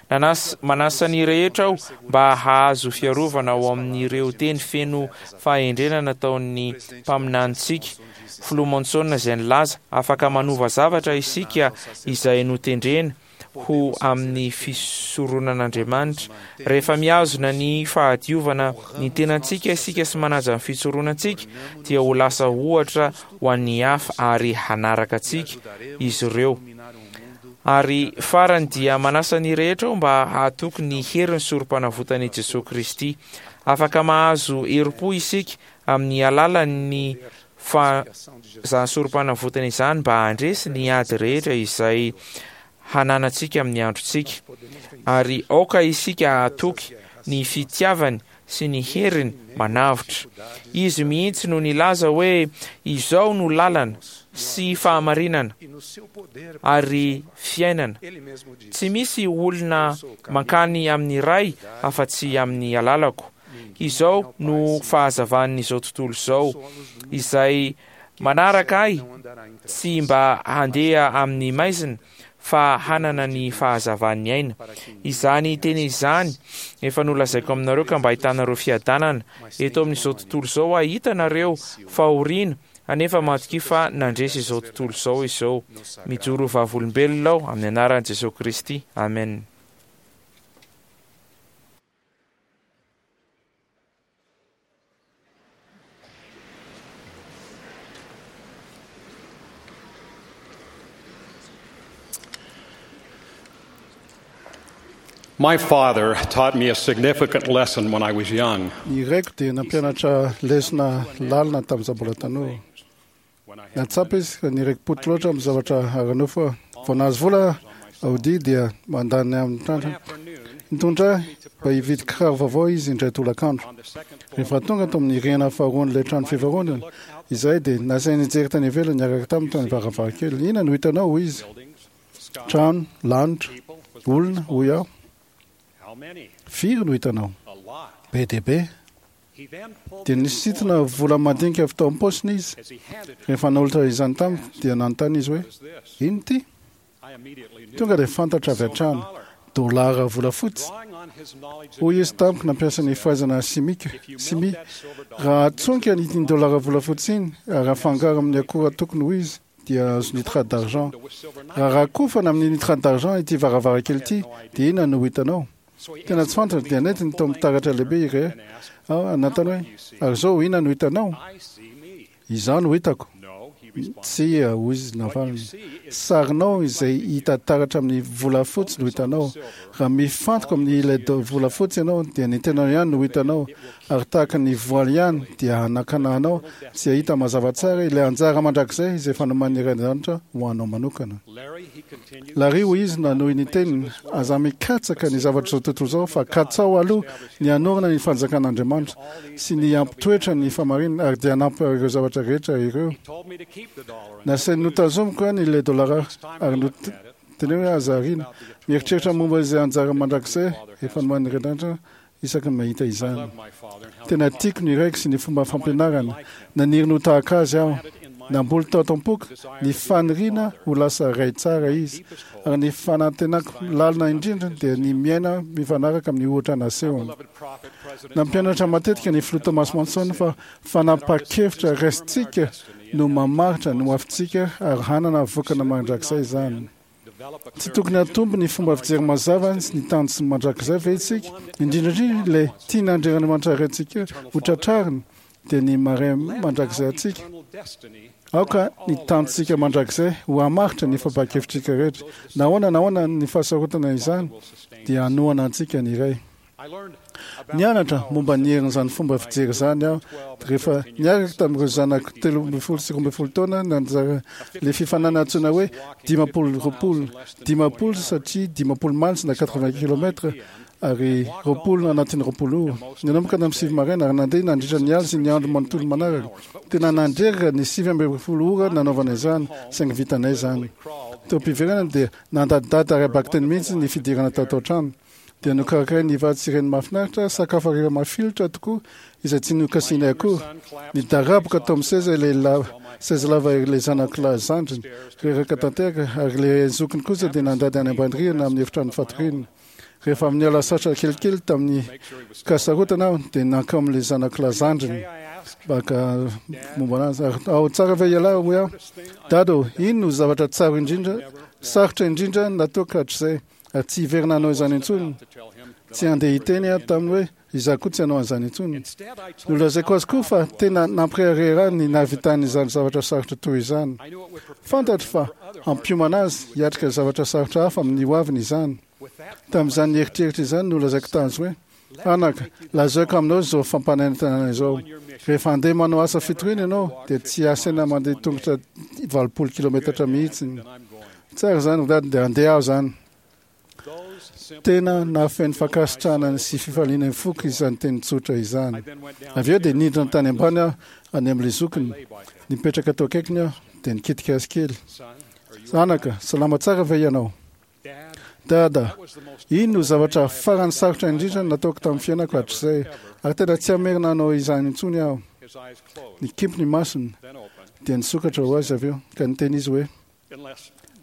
Nanas- manasa ny rehetra aho mba hahazo fiarovana ao amin'ireo teny feno fahendrena nataon'ny mpaminanintsika Filoha Monson, izay nilaza: afaka manova zavatra isika izay notendrena ho amin'ny fisoronan'Andriamanitra. Rehefa mihazona ny fahadiovana ny tenantsika isika sy manaja ny fisoronantsika, dia ho lasa ohatra ho an'ny hafa ary hanaraka antsika izy ireo. Ary farany dia manasa ny rehetra aho mba hahatoky ny herin'ny sorom-panavotan'i Jesosy Kristy. Afaka mahazo herim-po isika amin'ny alalan'ny fa izany sorom-panavotana izany mba handresy ny ady rehetra izay hananantsika amin'ny androntsika. Ary aoka isika hahatoky ny fitiavany sy ny heriny manavotra. Izy mihitsy no nilaza hoe: izao no lalana sy fahamarinana ary fiainana. Tsy misy olona mankany amin'ny Ray afa-tsy amin'ny alalako. Izao no fahazavan'izao tontolo izao. Izay manaraka ahy tsy mba handeha amin'ny maizina, fa hanana ny fahazavan'ny aina. Izany teny izany efa nolazaiko aminareo ka mba ahitanareo fiadanana. Eto amin'izao tontolo izao ahitanareo fahoriana, anefa matokia fa nandresy izao tontolo izao izao. Mijoro vavolombelona aho amin'ny anaran'i Jesosy Kristy. Amen. My father taught me a significant lesson when I was young. Ny raiko dia nampianatra lesona lalina tamin'izaho mbola tanora. Natsapa izy ka niraiki-poto loatra amin'ny zavatra ara-nofo aho. Vao nahazo vola Audi dia mandany amin'ny trandrana. Nitondra ahy mba hividy kiraro vaovao izy indray tolakandro. Rehefa tonga tao amin'ny rihana faharoan'ilay trano fivarotana izahay dia nasainy nijery tany ivelany niaraka taminy tany varavarankely. Inona no hitanao, hoy izy? Trano, lanitra, olona, hoy aho. Firy no hitanao? Be dia be. Dia nisintona vola madinika avy tao am-paosiny izy. Rehefa nanolotra izany tamiko dia nanontany izy hoe: ino ity? Tonga dia fantatra avy hatrany, dolara volafotsy. Hoy izy tamiko nampiasa ny fahaizana simika, simia: raha atsonika iny dolara volafotsy iny ary afangaro amin'ny akora tokony ho izy, dia azo nitrate d'argent. Raha rakofana amin'ny nitrate d'argent ity varavarankely ity, dia inona no hitanao? Tena tsy fantatra, dia nentiny tao amin'ny taratra lehibe iray aho, nanontany hoe: ary izao inona no hitanao? Izaho no hitako. Tsia, hoy izy navaliny. Sarinao izay hita taratra amin'ny volafotsy no hitanao. Raha mifantoka amin'ny ilay volafotsy ianao, dia ny tenanao ihany no hitanao, ary tahaka ny voaly ihany dia hanakana anao tsy hahita mazava tsara ilay anjara mandrakizay izay efa nomanin'ny Ray an-danitra ho anao manokana. Larry, hoy izy nanohy ny teniny, aza mikatsaka ny zavatr'izao tontolo izao, fa katsao aloha ny hanorina ny fanjakan'Andriamanitra sy ny hampitoetra ny fahamarinana, ary dia hanampy ireo zavatra rehetra ireo. Nasainy notazomiko ihany ilay dolara ary noteneniny hoe aza ariana. Mieritreritra momba izay anjara mandrakizay efa nomanin'ny Ray an-danitra isaky ny mahita izany. Tena tiako ny raiko sy ny fomba fampianarany. Naniry ny ho tahaka azy aho. Namboly tao am-poko ny faniriana ho lasa ray tsara izy, ary ny fanantenako lalina indrindra dia ny miaina mifanaraka amin'ny ohatra nasehony. Nampianatra matetika ny filoha Thomas Monson fa fanapahan-kevitra raisintsika no mamaritra ny hoavintsika ary hanana vokany mandrakizay izany. Tsy tokony hatombo ny fomba fijery mazava sy ny tanjona mandrakizay ve isika, indrindra indrindra ilay tian'Andriamanitra raintsika ho tratrarina, dia ny maha-ray mandrakizay antsika? Aoka ny tanjontsika mandrakizay ho hamaritra ny fampahan-kevitrika rehetra. Na ahoana na ahoana ny fahasarotana izany, dia hanohana antsika ny Ray. Nianatra momba ny herin'izany fomba fijery izany aho rehefa niaraka tamin'ireo zanako telo ambin'ny folo sy roa ambin'ny folo taona nanjara ilay fifaninanana antsoina hoe dimampolo roapolo. Dimampolo satria dimampolo miles na quatre-vingts kilomètres ary roapolo anatin'ny roapolo ora. Nanomboka tamin'ny sivy maraina ary nandeha nandritra ny alina sy ny andro manontolo manaraka. Tena nandreraka ny sivy ambin'ny folo ora nanaovana izany, saingy vitanay izany. Teo am-piverenana dia nandadidady ara-bakiteny mihitsy ny fidirana tato an-trano. Dia nokarakarain'ny vady sy reny mahafinaritra sakafo hariva mafilotra tokoa izay tsy nokasihinay akory. Nidaraboka tao amin'ny seza ilay lava, seza lava ilay zanako lahy zandriny, reraka tanteraka, ary ilay zokiny kosa dia nandady any ambany rihana amin'ny efitrano fatoriana. Rehefa avy niala sasatra kelikely tamin'ny kasarotana aho dia nankao amin'ilay zanako lahy zandriny mba haka momba anazy. Ary ao tsara ve ialahy, hoy aho? Dada ô, ino no zavatra tsara indrindra, sarotra indrindra nataoko hatrizay? Ary tsy hiverina hanao izany intsony. Tsy handeha hiteny aho taminy hoe izaho koa tsy hanao an'izany intsony. Nolazaiko azy koa fa tena nampirehareha ahy ny nahavitany izany zavatra sarotra toy izany. Fantatro fa hampiomana azy hiatrika zavatra sarotra hafa amin'ny hoaviny izany. Tamin'izany eritreritra izany nolazaiko tazy hoe, Anaka, lazaiko aminao izao fampanantenana izao. Rehefa handeha manao asa fitoriana ianao, dia tsy asaina mandeha tongotra valopolo kilometatra mihitsy. Tsara izany, ry dada, dia handeha aho izany. Tena nahafeno fankasitrahana sy fifaliana ny foko izany teny tsotra izany. Avy eo dia nidina tany ambany aho, any amin'ilay zokiny. Nipetraka teo akaikiny aho, dia nikitika azy kely. Anaka, salama tsara ve ianao? Dada, iny no zavatra farany sarotra indrindra nataoko tamin'ny fiainako hatrizay, ary tena tsy hamerina hanao izany intsony aho. Nikimpy ny masony, dia nisokatra ho azy avy eo, ka niteny izy hoe,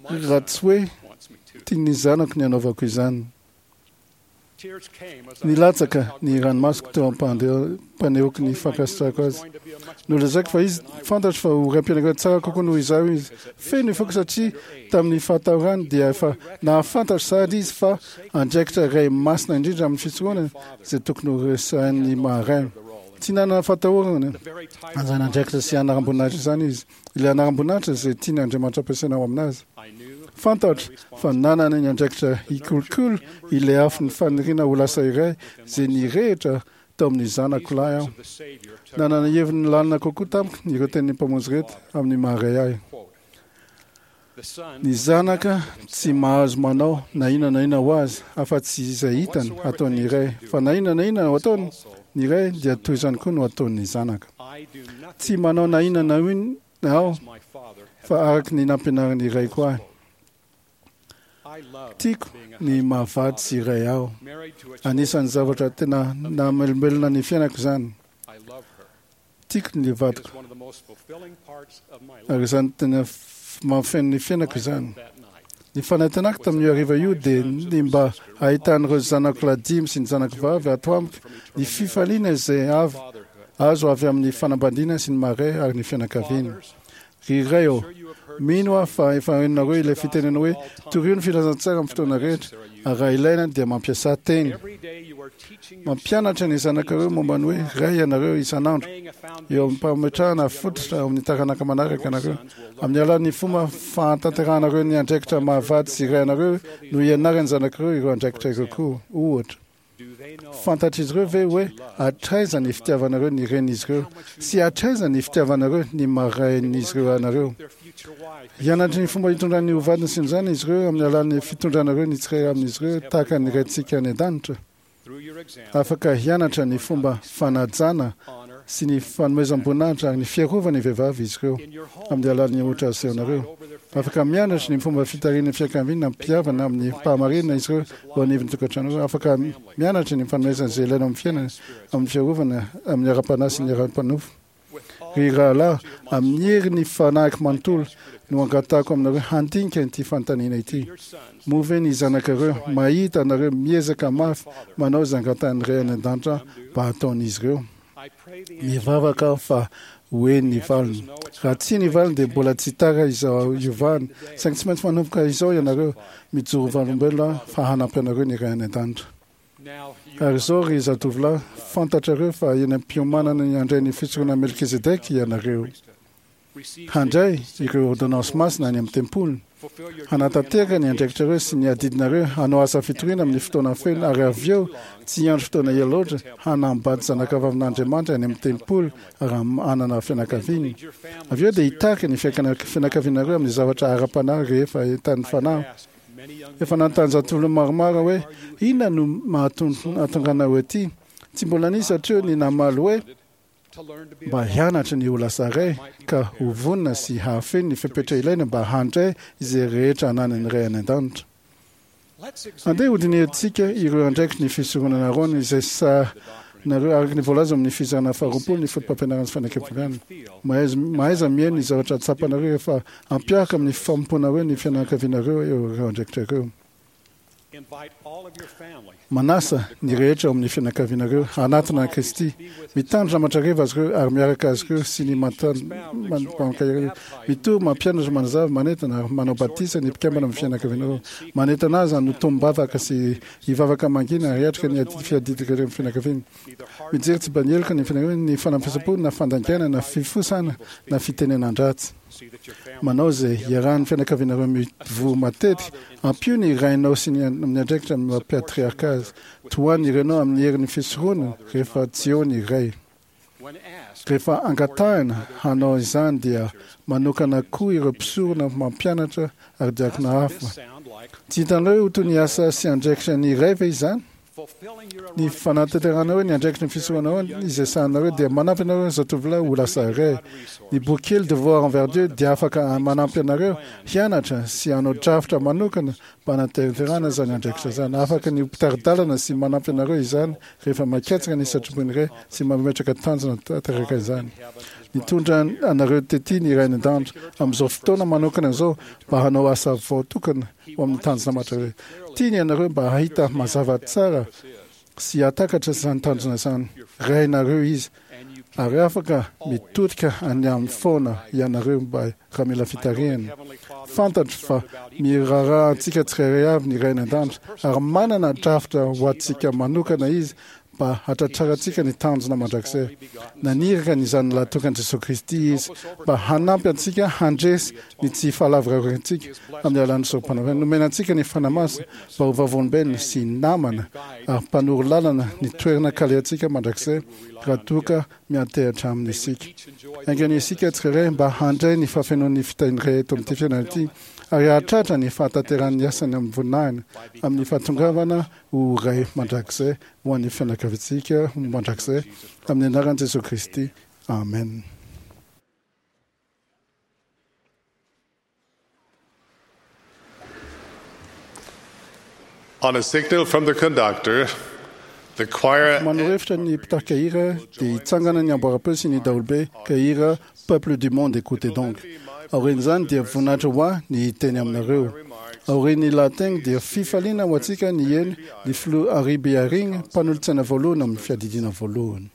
Raha tsy hoe tian'ny zanako ny hanaovako izany. Nilatsaka ny ranomasoko teo am-panehoako ny fankasitrahako azy. Nolazaiko fa izy fantatro fa ho raim-pianakaviana tsara kokoa noho izaho izy. Feno ny foko satria tamin'ny fahatahorany dia efa nahafantatra sahady izy fa andraikitra iray masina indrindra amin'ny fisoronana izay tokony ho resahin'ny maha-ray. Tsy nanana fahatahorana an'izany andraikitra sy anaram-boninahitra izany izy. Ilay anaram-boninahitra izay tian'Andriamanitra ampiasaina ao aminazy. Fantatro fa nanana ny andraikitra hikolokolo ilay afon'ny faniriana ho lasa iray izay nirehitra tao amin'ny zanako lahy aho. Nanana heviny lalina kokoa tamiko ireo tenin'ny Mpamonjy ireto amin'ny maha-ray ahy. Ny zanaka tsy mahazo manao na inona na inona ho azy afa-tsy izay hitany ataon'ny ray, fa na inona na inona ataony ny ray dia toy izany koa no ataon'ny zanaka. Tsy manao na inona na inona aho fa araka ny nampianarin'ny raiko ahy. Tiako ny maha-vady sy ray aho. Anisan'ny zavatra tena nahamelombelona ny fiainako izany. Tiako ny vadiko, ary izany tena mahafeno ny fiainako izany. Ny fanantenako tamin'io hariva io dia ny mba hahitan'ireo zanako lahy dimy sy ny zanako vavy ato amiko ny fifaliana izay avy azo avy amin'ny fanambadiana sy ny maha-ray ary ny fianakaviana. Ry ray ô, mino aho fa efa renareo ilay fitenena hoe torio ny filazantsara amin'ny fotoana rehetra, ary raha ilaina dia mampiasa teny. Mampianatra ny zanakareo momba ny hoe ray ianareo isan'andro, eo amin'ny mpametrahana fototra amin'ny taranaka manaraka anareo. Amin'ny alalan'ny fomba fahatanterahanareo ny andraikitra mahavady sy ray anareo no ianaran'ny zanakareo ireo andraikitra ireo koa. Ohatra, fantatr'izy ireo ve hoe hatraiza ny fitiavanareo ny renin'izy ireo sy hatraiza ny fitiavanareo ny marain'izy ireo anareo? Hianatry ny fomba hitondran'ny ho vadiny sy ny zanany izy ireo amin'ny alalan'ny fitondranareo ny tsirairay amin'izy ireo tahaka ny raintsika any an-danitra. Afaka hianatra ny fomba fanajana sy ny fanomezam-boninahitra ary ny fiarovana ny vehivavy izy ireo amin'ny alalan'ny ohatra asehonareo. Afaka mianatra ny fomba fitarihan'ny fianakaviana ampihavana amin'ny fahamarinana izy ireo eo anivon'ny tokantrano. Afaka mianatra ny fanomezana izay ilaina amin'ny fiainana, amin'ny fiarovana amin'ny ara-panahy sy ny ara-panofo. Ry rahalahy, amin'ny herin'ny fanahiko manontolo no angatahako aminareo handinika ity fanontaniana ity. Moa ve ny zanakareo mahita anareo miezaka mafy manao izay angatahan'ny Ray any an-danitra mba hataon'izy ireo? Mivavaka aho fa ho eny ny valiny. Raha tsia ny valiny dia mbola tsy tara izao hiovana, saingy tsy maintsy manomboka izao ianareo. Mijoro vavolombelona aho fa hanampy anareo ny Ray any an-danitra. Ary izao, ry zatovolahy, fantatrareo fa eny am-piomanana ny handray ny fisoronana Melkizedeka ianareo. Handray ireo ôrdônansy masina any amin'ny tempoly, hanatanteraka ny andraikitrareo sy ny adidinareo, hanao asa fitoriana amin'ny fotoana feno, ary avy eo, tsy hiandry fotoana ela loatra, hanambady zanakavavin'Andriamanitra any amin'ny tempoly ary hanana fianakaviana. Avy eo dia hitarika ny fianakavianareo amin'ny zavatra ara-panahy rehefa entanin'ny Fanahy. Efa nanontany zatovolona maromaro hoe inona no mahatonga anao ety. Tsy mbola nisy hatreo ny namaly hoe mba hianatra ny ho lasa ray ka ho vonona sy hahafeno ny fepetra ilaina mba handray izay rehetra ananan'ny Ray any an-danitra. Andeha hodinihantsika ireo andraikitry ny fisoronana Aarona izay sahanareo araka ny voalaza amin'ny fizarana faharoapolo ny fotopampianarana sy fanekempihavanana. Mahaiza mihaino ny zavatra tsapanareo rehefa ampiaraka amin'ny fanompoanareo ny fianakavianareo ireo andraikitra ireo. Manasa ny rehetra ao amin'ny fianakavianareo hanatona an'i Kristy. Mitandrina mandrakariva azy ireo ary miaraka azy ireo sy ny mankahery. Mitory, mampianatra, manazava, manentana ary manao batisa ny mpikambana amin'ny fianakavianareo. Manentana azy hanotom-bavaka sy hivavaka mangina ary hiatrika ny fiadiana amin'ny fianakaviana. Mijery tsy mba-nieloka ny fianakaviana ny fanamafisam-po na fandaingana na fifosana na fitenenan-dratsy. Manao izay iarahan'ny fianakavianareo mivory matetika. Ampio ny rainao sy ny amin'ny andraikitra amin'ny maha patriarka azy. Tohano ny renao amin'ny herin'ny fisoronana rehefa tsy eo ny ray. Rehefa angatahina hanao izany dia manokana koa ireo mpisorona mampianatra ary diakona hafa. Tsy hitanareo ho toy ny asa sy andraikitra ny ray ve izany? Ny fanatanteranareo ny andraikitry ny fisoronanareo izay sahanareo dia manampy anareo zatovolahy ho lasa ray. Ny boky kely Devoir envers Dieu dia afaka manampy anareo hianatra sy hanao drafitra manokana mba hanatanterahana izany andraikitra izany. Afaka ny ho mpitari-dalana sy manampy anareo izany rehefa mikatsaka ny sitrapon'ny Ray sy mametraka tanjona tanteraka izany. Nitondra anareo tety ny Ray any an-danitra amin'izao fotoana manokana izao mba hanao asa voatokana ho amin'ny tanjona mandrakizay. Tiany ianareo mba hahita mazava tsara sy hahatakatra izany tanjona izany. Rainareo Izy, ary afaka mitodika any Aminy foana ianareo mba raha mila fitarihana. Fantatro fa miraharaha antsika tsirairay avy ny Ray any An-danitra, ary manana drafitra ho antsika manokana Izy mba hatratrarantsika ny tanjona mandrakizay. Naniraka ny Zanany Lahitokan'i Jesoa Kristy Izy mba hanampy antsika handresy ny tsy fahalavorariantsika amin'ny alalan'ny sorompanavotana. Nomena antsika ny Fanahy Masina mba ho vavolombelona sy namana ary mpanoro lalana ny toerana kalehantsika mandrakizay raha toa ka miantehatra Aminy isika. Enga anie isika tsirairay mba handray ny fahafenoan'ny fitahiany rehetra eto amin'ity fiainana ity ary hahatratra ny fahatanterahan'ny asany amin'ny voninahiny amin'ny fahatongavana ho Ray mandrakizay ho an'ny fianakaviantsika mandrakizay amin'ny anaran'i Jesoa Kristy. Amen. On a signal from the conductor, the choir Manoro hevitra ny mpitarika hira dia hitsangana ny amboaram-peo sy ny daholobe ka hira Peuple du monde écoutez donc. Aorian'izany dia voninahitra ho ahy ny hiteny aminareo. Aorian'ny lahateny dia fifaliana ho antsika ny hihaino ny filoha Henri B. Eyring, mpanolotsaina voalohany amin'ny fiadidiana voalohany.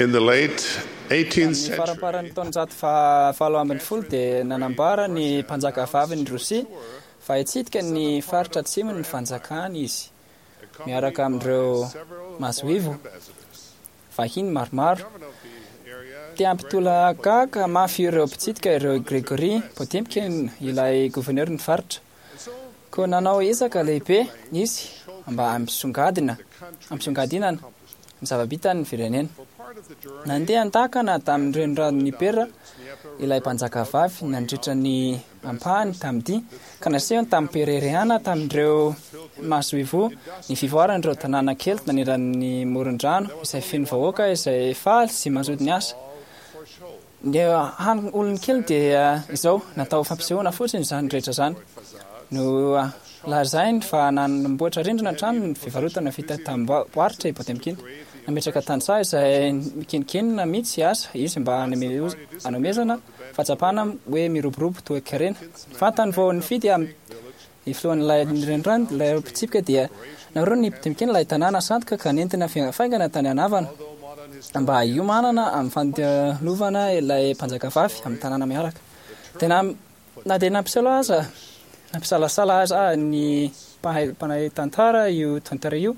In the late eighteenth Ny century, faramparan'ny taonjato fa- valo ambin'ny folo dia nanambara ny mpanjaka vavin'i Rosia fa hitsidika ny faritra atsimo ny fanjakana izy miaraka amin'ireo masoivoho vahiny maromaro. Te hampitolagaga mafy ireo mpitsidika ireo Gregory Potemkin, ilay governoran'ny faritra. Koa nanao ezaka lehibe izy mba hampisongadina hampisongadinana ny zava-bitan'ny firenena. Nandeha an-dakana tamin'ny renirano Dnieper ilay mpanjaka vavy nandritra ny ampahany tamin'ity, ka nasehony tamim-pireharehana tamin'ireo masoivoho ny fivoaran'ireo tanàna kely naneran'ny moron-drano izay feno vahoaka izay faly sy mazoto niasa. Ny hany olony kely dia izao, natao fampisehoana fotsiny izany rehetra izany. No lazainy fa nanamboatra rindrina hatrany ny fivarotana vita tamim-barotra i Potemkin. Nametraka tantsaha izay mikenonkenona mihitsy aza izy mba hanome- hanomezana fahatsapana hoe miroborobo toe-karena. Fantany vao nifidy am- ny filohan'ilay renirano, ilay mpitsipika, dia naoriny Potemkin ilay tanàna sandoka ka nentina faingana tany anavana mba hiomanana amin'ny fandalovana ilay mpanjaka vavy amin'ny tanàna miaraka. Tena na dia nampiseho aza nampisalasala aza ny mpahay mpahay tantara io tantara io,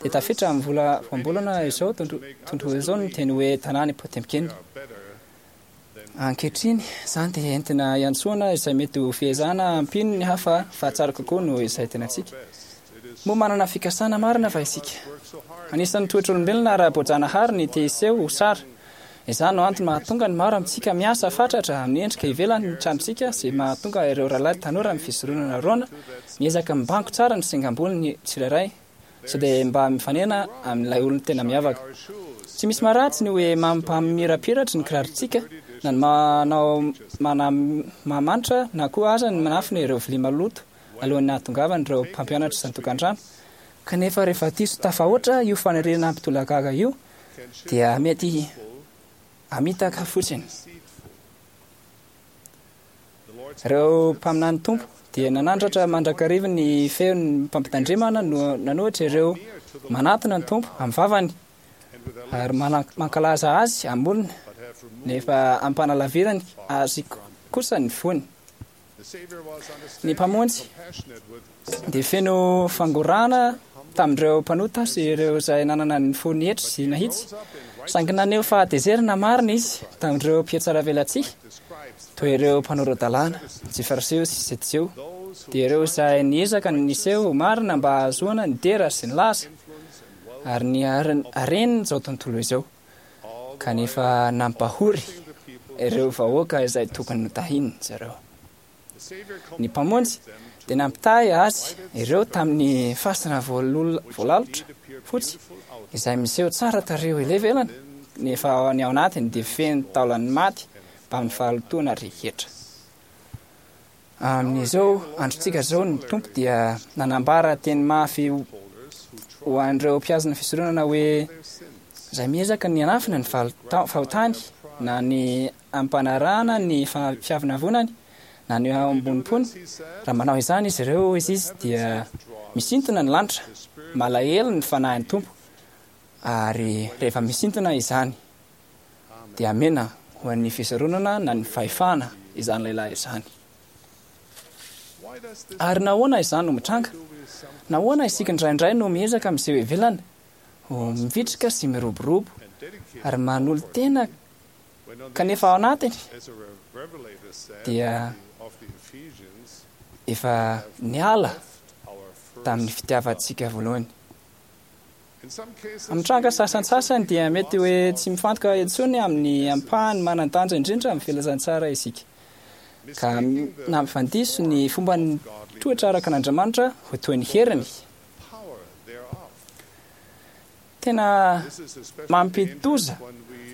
dia tafiditra amin'ny vola voambolana izao tontolo izao ny teny hoe tanàna Potemkin. Ankehitriny izany dia entina iantsoana izay mety ho fiezahana hampino ny hafa fa tsara kokoa noho izay tenantsika. Moa manana fikasana marina va isika? Anisan'ny toetr'olombelona ara-boajanahary ny te hiseho ho tsara. Izany no antony mahatonga ny maro amintsika miasa fatratra amin'ny endrika ivelany ny tranontsika sy mahatonga ireo rahalahy tanora amin'ny fisoronana Aharôna miezaka mibango tsara ny singam-bolony tsirairay sao dia mba mifanena amin'ilay olona tena miavaka. Tsy misy maharatsy ny hoe mampamirapiratry ny kirarontsika na ny manao mana mamanitra na koa aza ny manafina ireo vilia maloto alohan'ny hahatongavan'ireo mpampianatra isan-tokantrano. Kanefa rehefa diso tafahoatra io faniriana hampitolagaga io dia mety hamitaka fotsiny. Ireo mpaminany Tompo dia nanandratra mandrakariva ny feon'ny mpampitandremana no nanohitra ireo manatona ny Tompo amin'ny vavany ary mana- mankalaza azy amin'ny olona, nefa ampanalavirany azy kosa ny fony. Ny Mpamonjy dia feno fangorahana tamin'ireo mpanota sy ireo izay nanana ny fo nietry sy nahitsy, saingy naneho fahatezerana marina izy tamin'ireo mpihatsaravelatsihy toy ireo mpanora-dalàna, sy Fariseo sy Sadoseo, dia ireo izay niezaka ny niseho marina mba hahazoana ny dera sy ny laza ary ny haren'izao tontolo izao, kanefa nampahory ireo vahoaka izay tokony notahiny zareo. Ny Mpamonjy dia nampitahy azy ireo tamin'ny fasana voalalotra fotsy izay miseho tsara tarehy ivelany, nefa ny ao anatiny dia feno taolan'ny maty mbamin'ny fahalotoana rehetra. Amin'izao androntsika izao ny Tompo dia nanambara teny mafy ho an'ireo mpihazona fisoronana hoe izay miezaka ny hanafina ny fahotany na ny ampanarahana ny fiavonavonany na ny ambonimpony, raha manao izany izy ireo izy izy dia misintona ny lanitra, malahelo ny fanahin'ny Tompo, ary rehefa misintona izany dia amena ho an'ny fisoronana na ny fahefana izany lehilahy izany. Ary nahoana izany no mitranga? Nahoana isika indraindray no miezaka miseho ivelany ho mivitrika sy miroborobo ary manolo-tena, kanefa ao anatiny dia efa niala tamin'ny fitiavantsika voalohany? Amin'ny tranga sasantsasany dia mety hoe tsy mifantoka intsony amin'ny ampahany manan-danja indrindra amin'ny filazantsara isika, ka nampifandiso ny fomban'ny toetra araka an'Andriamanitra ho toy ny heriny. Tena mampidi-doza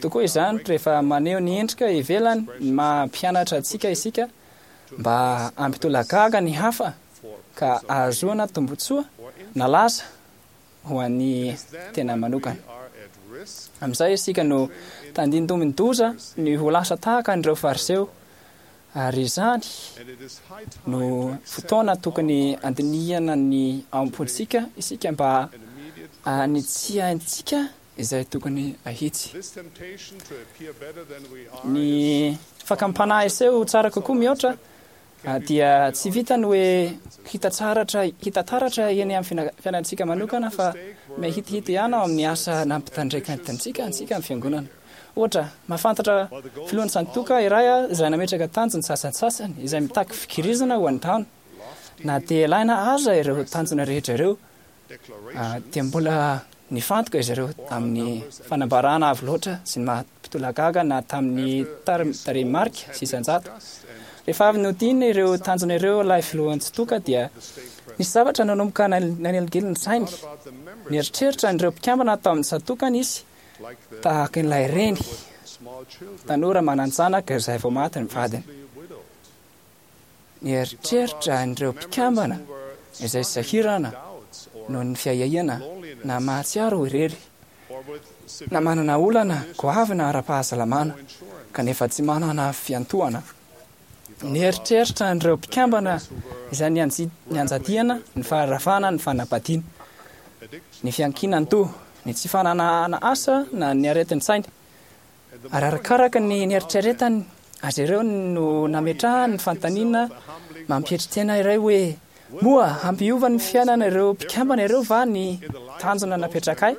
tokoa izany rehefa maneho ny endrika ivelany ny maha mpianatra antsika isika mba hampitolagaga ny hafa ka ahazoana tombontsoa na laza ho an'ny tena manokana. Amin'izay isika no tandindomin-doza ny ho lasa tahaka an'ireo Fariseo, ary izany no fotoana tokony handinihana ny ao am-pontsika isika mba hanitsiantsika izay tokony ahitsy. Ny fakam-panahy seho tsara kokoa mihoatra dia tsy vitany hoe hita tsaratra hita taratra eny amin'ny fiainantsika manokana fa mahitihita ihany ao amin'ny asa nampitandrekantsika antsika amin'ny fiangonana. Ohatra, mahafantatra filohan'ny santoka iray izay nametraka tanjona sasantsasany izay mitaky fikirizana ho an'ny taona. Na dia ilaina aza ireo tanjona rehetra ireo, dia mbola nifantoka izy ireo amin'ny fanambarana avo loatra sy ny maha-mpitolagaga na tamin'ny tarehimarika sy isan-jato. Rehefa avy nodinina ireo tanjona ireo ilay filohan'ny tsitoka dia nisy zavatra nanomboka naneligely ny sainy. Nieritreritra an'ireo mpikambana tao amin'ny tsatokany izy tahaka ilay reny tanora manan-janaka izay vao maty ny vadiny. Nieritreritra an'ireo mpikambana izay sahirana noho ny fiahiahiana na mahatsiaro ho irery na manana olana goavana ara-pahasalamana kanefa tsy manana fiantohana. Nieritreritra an'ireo mpikambana izay nianjadiana ny faharavana ny fanambadiana, ny fiankinan-doha, ny tsy fananana asa na ny aretin-tsaina. Ary arakaraka ny nieritreretany azy ireo no nametrahany ny fanontaniana mampietry tena iray hoe: moa hampiova ny fiainana ireo mpikambana ireo va ny tanjona napetrakay?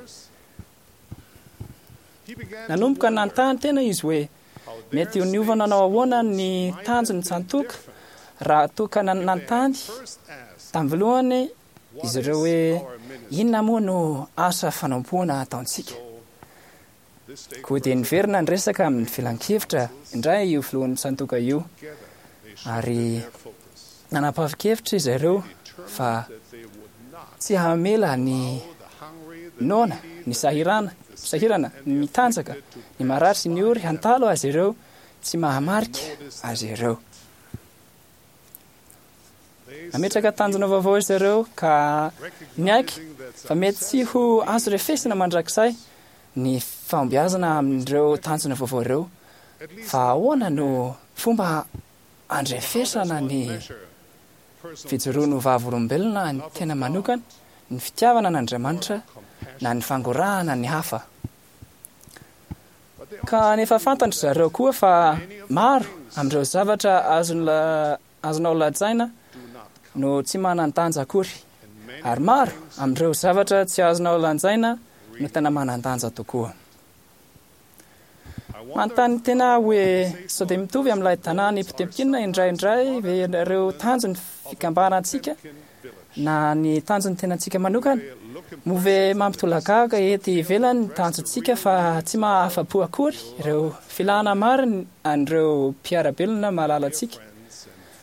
Nanomboka nanontany tena izy hoe mety ho niova nanao ahoana ny tanjon'ny tsantoka raha toa ka nanontany tamin'ny voalohany izy ireo hoe inona moa no asa fanompoana ataontsika. Koa dia niverina niresaka amin'ny filankevitra indray io filohan'ny tsantoka io, ary nanapa-kevitra izy ireo fa tsy hamela ny noana, ny sahirana, sahirana, ny mitanjaka, ny marary sy ny ory hantalo azy ireo, tsy mahamarika azy ireo. Nametraka tanjona vaovao izy ireo ka niaiky fa mety tsy ho azo refesina mandrakizay ny fahombiazana amin'ireo tanjona vaovao ireo, fa ahoana no fomba andrefesana ny fijoroana ho vavolombelona ny tena manokana, ny fitiavana an'Andriamanitra na ny fangorahana ny hafa. Ka nefa fantatry zareo koa fa maro amin'ireo zavatra azonla azonao lazaina no tsy manan-danja akory, ary maro amin'ireo zavatra tsy azonao lanjaina no tena manan-danja tokoa. Manontany tena hoe sao dia mitovy amin'ilay tanàna Potemkin indraindray ve ireo tanjon'ny fikambanantsika na ny tanjon'ny tenantsika manokana? Moa ve mampitolagaga ety ivelany ny tanjontsika fa tsy mahafa-po akory ireo filana marina an'ireo mpiara-belona malalantsika?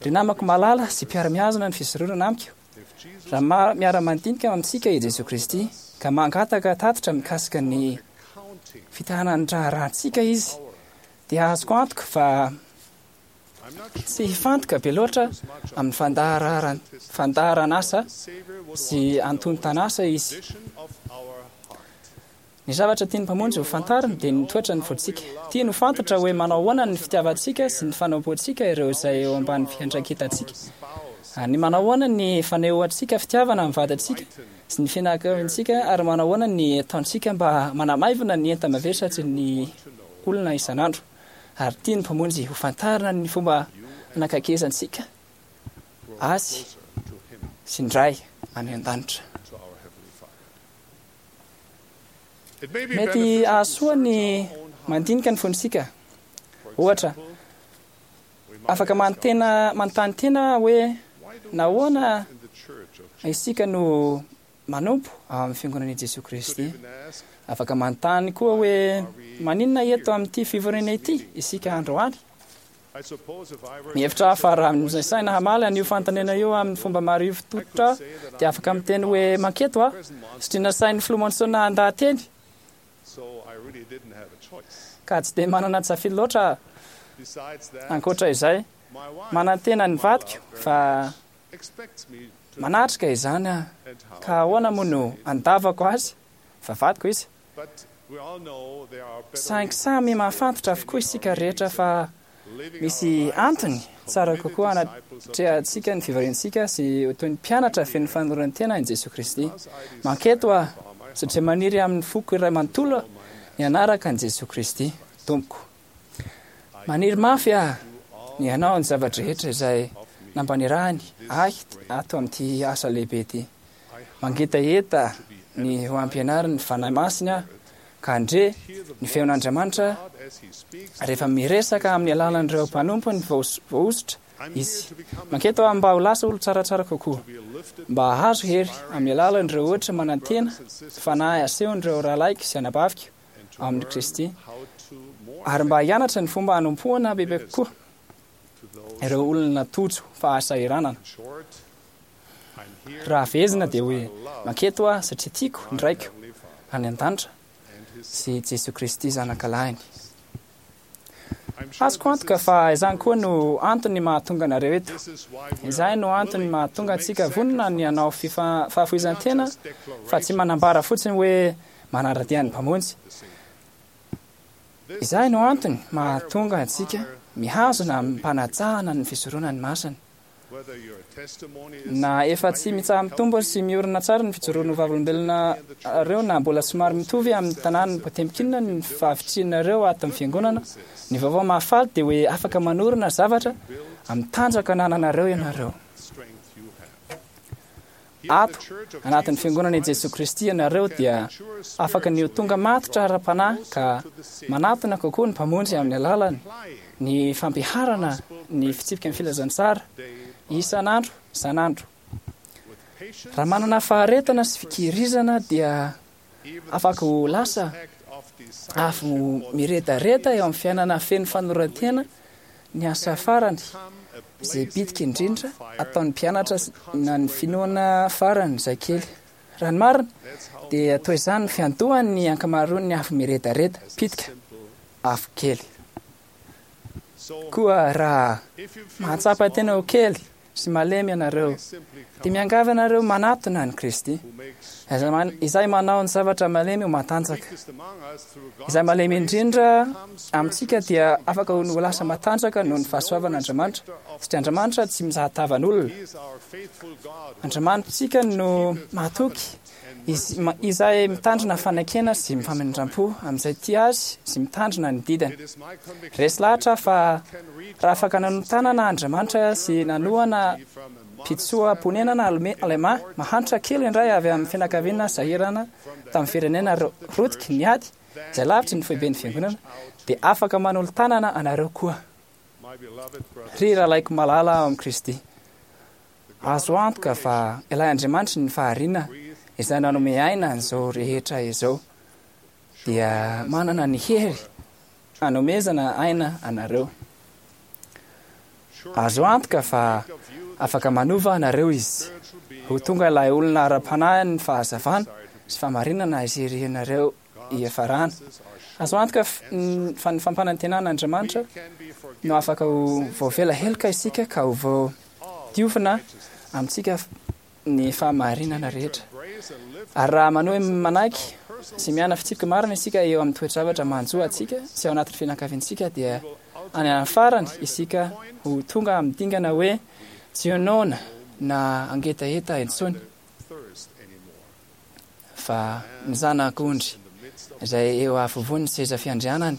Ry namako malala sy mpiara-mihazona ny fisoronana amiko, raha miara-mandinika amintsika i Jesoa Kristy ka mangataka tatitra mikasika ny fitahanan'ny raharahantsika izy, dia azoko antoka fa tsy hifantoka be loatra amin'ny fandaharan fandaharan'asa sy antontan'asa izy. Ny zavatra tian'ny Mpamonjy ho fantarina dia ny toetran'ny fontsika. Tiany ho fantatra hoe manao ahoana ny fitiavantsika sy ny fanompoantsika ireo izay eo ambany fiandraiketantsika. Ny manao ahoana ny fanehoantsika fitiavana amin'ny vadintsika sy ny fianakaviantsika, ary manao ahoana ny ataontsika mba manamaivana ny enta-mavesatry ny olona isan'andro. Ary tian'ny Mpamonjy ho fantarina ny fomba anakaikezantsika azy sy ny Ray any an-danitra. Mety hahasoa ny mandinika ny fontsika. Ohatra, afaka manontena manontany tena hoe nahoana isika no manompo ao amin'ny fiangonan'i Jesoa Kristy. Afaka manontany koa hoe maninona eto amin'ity fivoriana ity isika androany. Mihevitra aho fa raha misaina hamaly an'io fanontaniana io amin'ny fomba marivo tototra dia afaka miteny hoe manketo aho satria nasain'ny filoha Monson handaha-teny, ka tsy dia manana tsafidy loatra aho. Ankoatra izay, manantena ny vadiko fa manatrika izany aho, ka ahoana moa no andavako azy fa vadiko izy? Saingy samy mahafantatra avokoa isika rehetra fa misy antony tsara kokoa anatrehantsika ny fivoriantsika sy ho toy ny mpianatra feno fanoloran-tena an'i Jesoa Kristy. Manketo aho satria maniry amin'ny foko iray manontolo ny hanaraka an'i Jesoa Kristy Tompoko. Maniry mafy aho ny hanao ny zava-drehetra izay nampanirahany ahy ato amin'ity asa lehibe ity. Mangetaheta ny ho ampianarin'ny Fanahy Masina aho ka handre ny feon'Andriamanitra rehefa miresaka amin'ny alalan'ireo mpanompony voahosotra izy. Manketo aho mba ho lasa olo tsaratsara kokoa, mba hahazo hery amin'ny alalan'ireo ohatra manantena fanahy asehon'ireo rahalahiko sy anabaviko ao amin'i Kristy, ary mba hianatra ny fomba hanompoana bebe kokoa ireo olona tojo fahasahiranana. Raha fehezina dia hoe manketo aho satria tiako ny Raiko any an-danitra sy Jesoa Kristy Zanakalahiny. Azoko antoka fa izany koa no antony mahatonga anareo eto. Izay no antony mahatonga antsika vonona ny hanao fahafoizan-tena fa tsy manambara fotsiny hoe manara-dia ny Mpamonjy. Izay no antony mahatonga antsika mihazona amim-panajana ny fisoronany masina. Na efa tsy mitsaha-mitombo sy miorina tsara ny fijoroan'ny vavolombelona areo na mbola somary mitovy amin'ny tanàn'ny Potemkin ny fahavitrianareo ato amin'ny fiangonana, ny vaovao mahafaly dia hoe afaka manorina zavatra amin'ny tanjaka anananareo ianareo. Ato anatin'ny fiangonana i Jesoa Kristy ianareo dia afaka ny ho tonga matotra ara-panahy ka manatona kokoa ny Mpamonjy amin'ny alalany ny fampiharana ny fitsipika ny filazantsara isan'andro isan'andro. Raha manana faharetana sy fikirizana dia afaka ho lasa afo miredareda eo amin'ny fiainana feno fanoran-tena ny asa farany izay bitika indrindra ataon'ny mpianatra na ny finoana farany izay kely. Raha ny marina dia toy izany ny fiandohan'ny ankamaroan'ny afo miredareda pitika afo kely. Koa raha mahatsapa tena ho kely sy malemy ianareo dia miangavy anareo manatona an'i Kristy izay manao ny zavatra malemy ho matanjaka. Izay malemy indrindra amintsika dia afaka ho lasa matanjaka noho ny fahasoavan'Andriamanitra, satria Andriamanitra tsy mizaha tavan'olona. Andriamanitsika no mahatoky, izay mitandrina fanekena sy mifamindram-po amin'izay tia azy sy mitandrina ny didiny. Resy lahatra fa raha afaka nanotanana Andriamanitra sy nanohana mpitsoa-ponenana alemà mahantra kely indray avy amin'ny fianakaviana sahirana tamin'ny firenena rotiky ny ady izay lavitry ny foiben'ny fiangonana, dia afaka manolo-tanana anareo koa. Ry rahalaiko malala ao amin'i Kristy, azo antoka fa ilay Andriamanitry ny fahariana izay nanome aina an'izao rehetra izao dia manana ny hery hanomezana aina anareo. Azo antoka fa afaka manova anareo izy ho tonga ilay olona ara-panahy ny fahazavana sy fahamarinana izay irianareo hiafarana. Azo antoka fa ny fampanantenan'Andriamanitra no afaka ho voavela heloka isika ka ho voadiovina amintsika ny fahamarinana rehetra. Ary raha manohy manaiky sy miaina fitsipika marina isika eo amin'ny toe-javatra manjo antsika sy ao anatin'ny fianakaviantsika dia any amin'ny farany isika ho tonga amin'ny dingana hoe tsy ho noana na hangetaheta intsony fa ny Zanak'ondry izay eo afovoan'ny seza fiandrianany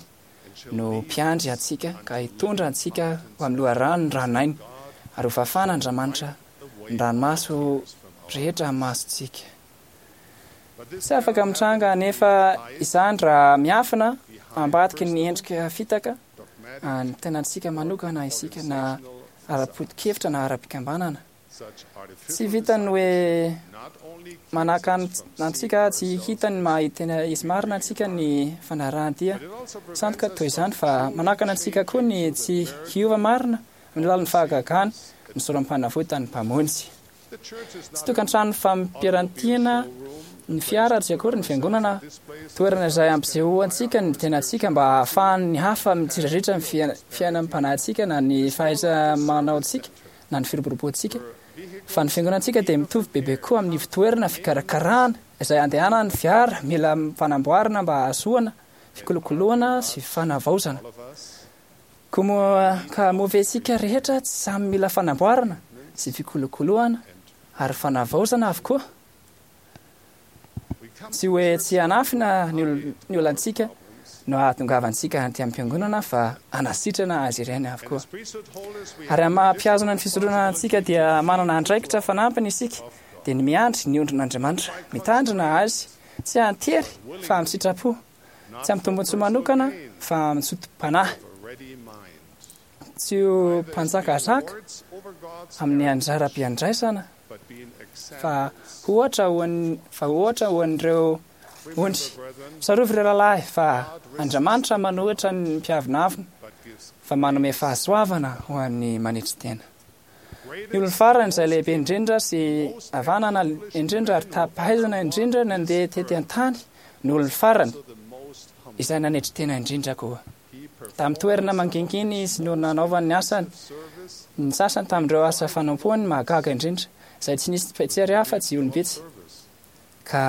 no mpiandry antsika ka hitondra antsika ho amin'ny loharanon'ny ranon'aina ary ho fafan'Andriamanitra ny ranomaso rehetra amin'ny masontsika. Tsy afaka mitranga anefa izany raha miafina ambadiky ny endrika fitaka ny tenantsika manokana isika na ara-poto-kevitra na ara-pikambanana. Tsy vitan'ny hoe manakana antsika tsy hita ny maha tena izy marina antsika ny fanarahan-dia sandoka toy izany fa manakana antsika koa ny tsy hiova marina amin'ny alalan'ny fahagagana ny sorom-panavotan'ny Mpamonjy. Tsy tokantrano fampirantiana ny fiara tsy akory ny fiangonana, toerana izay ampisehoantsika ny tenantsika mba hahafahan'ny hafa mitsiriritra ny fiainam-panahintsika na ny fahaiza-manaontsika na ny firoboroboantsika, fa ny fiangonantsika dia mitovy bebe koa amin'ny fitoerana fikarakarana izay andehanan'ny fiara mila fanamboarana mba hahazoana fikolokoloana sy fanavaozana. Koa moa ka moa ve isika rehetra tsy samy mila fanamboarana sy fikolokoloana ary fanavaozana avokoa? Tsy hoe tsy hanafina ny ol- ny olantsika no ahatongavantsika aty am-piangonana fa hanasitrana azy ireny avokoa. Ary amin'ny maha mpihazona ny fisoronana antsika dia manana andraikitra fanampiny isika, dia ny miandry ny ondrin'Andriamanitra, mitandrina azy tsy an-tery fa amin'ny sitrapo, tsy amin'ny tombontsoa manokana fa amin'ny zotom-panahy. Tsy ho mpanjakazaka amin'ny anjara-piandraisana fa ohatra ho an'ny fa ohatra ho an'ireo ondry. Tsarovy ireo rahalahy fa Andriamanitra manohitra ny mpiavonavona fa manome fahasoavana ho an'ny manetry tena. Ny olona farany izay lehibe indrindra sy havanana indrindra ary tapaizana indrindra nandeha tety an-tany no olona farany izay nanetry tena indrindra koa. Tamin'ny toerana mangingina izy no nanaovany ny asany, ny sasany tamin'ireo asa fanompoany mahagaga indrindra, izay tsy nisy mpijery afa-tsy olom-bitsy. Ka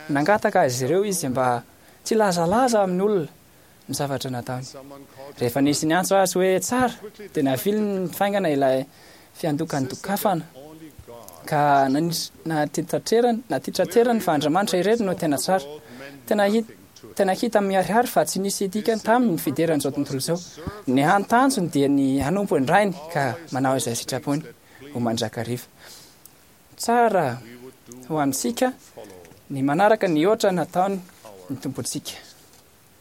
nangataka azy ireo izy mba tsy hilazalaza amin'ny olona ny zavatra nataony. Rehefa nisy niantso azy hoe tsara, dia naviliny faingana ilay fiandokandokafana, ka natitraterany fa Andriamanitra irery no tena tsara. Tena hita. Tena hita miharihary fa tsy nisy dikany taminy ny fideran'izao tontolo izao. Ny hany tanjony dia ny hanompo ny Rainy ka manao izay sitrapony ho mandrakariva. Tsara ho antsika ny manaraka ny ohatra nataony ny Tompontsika,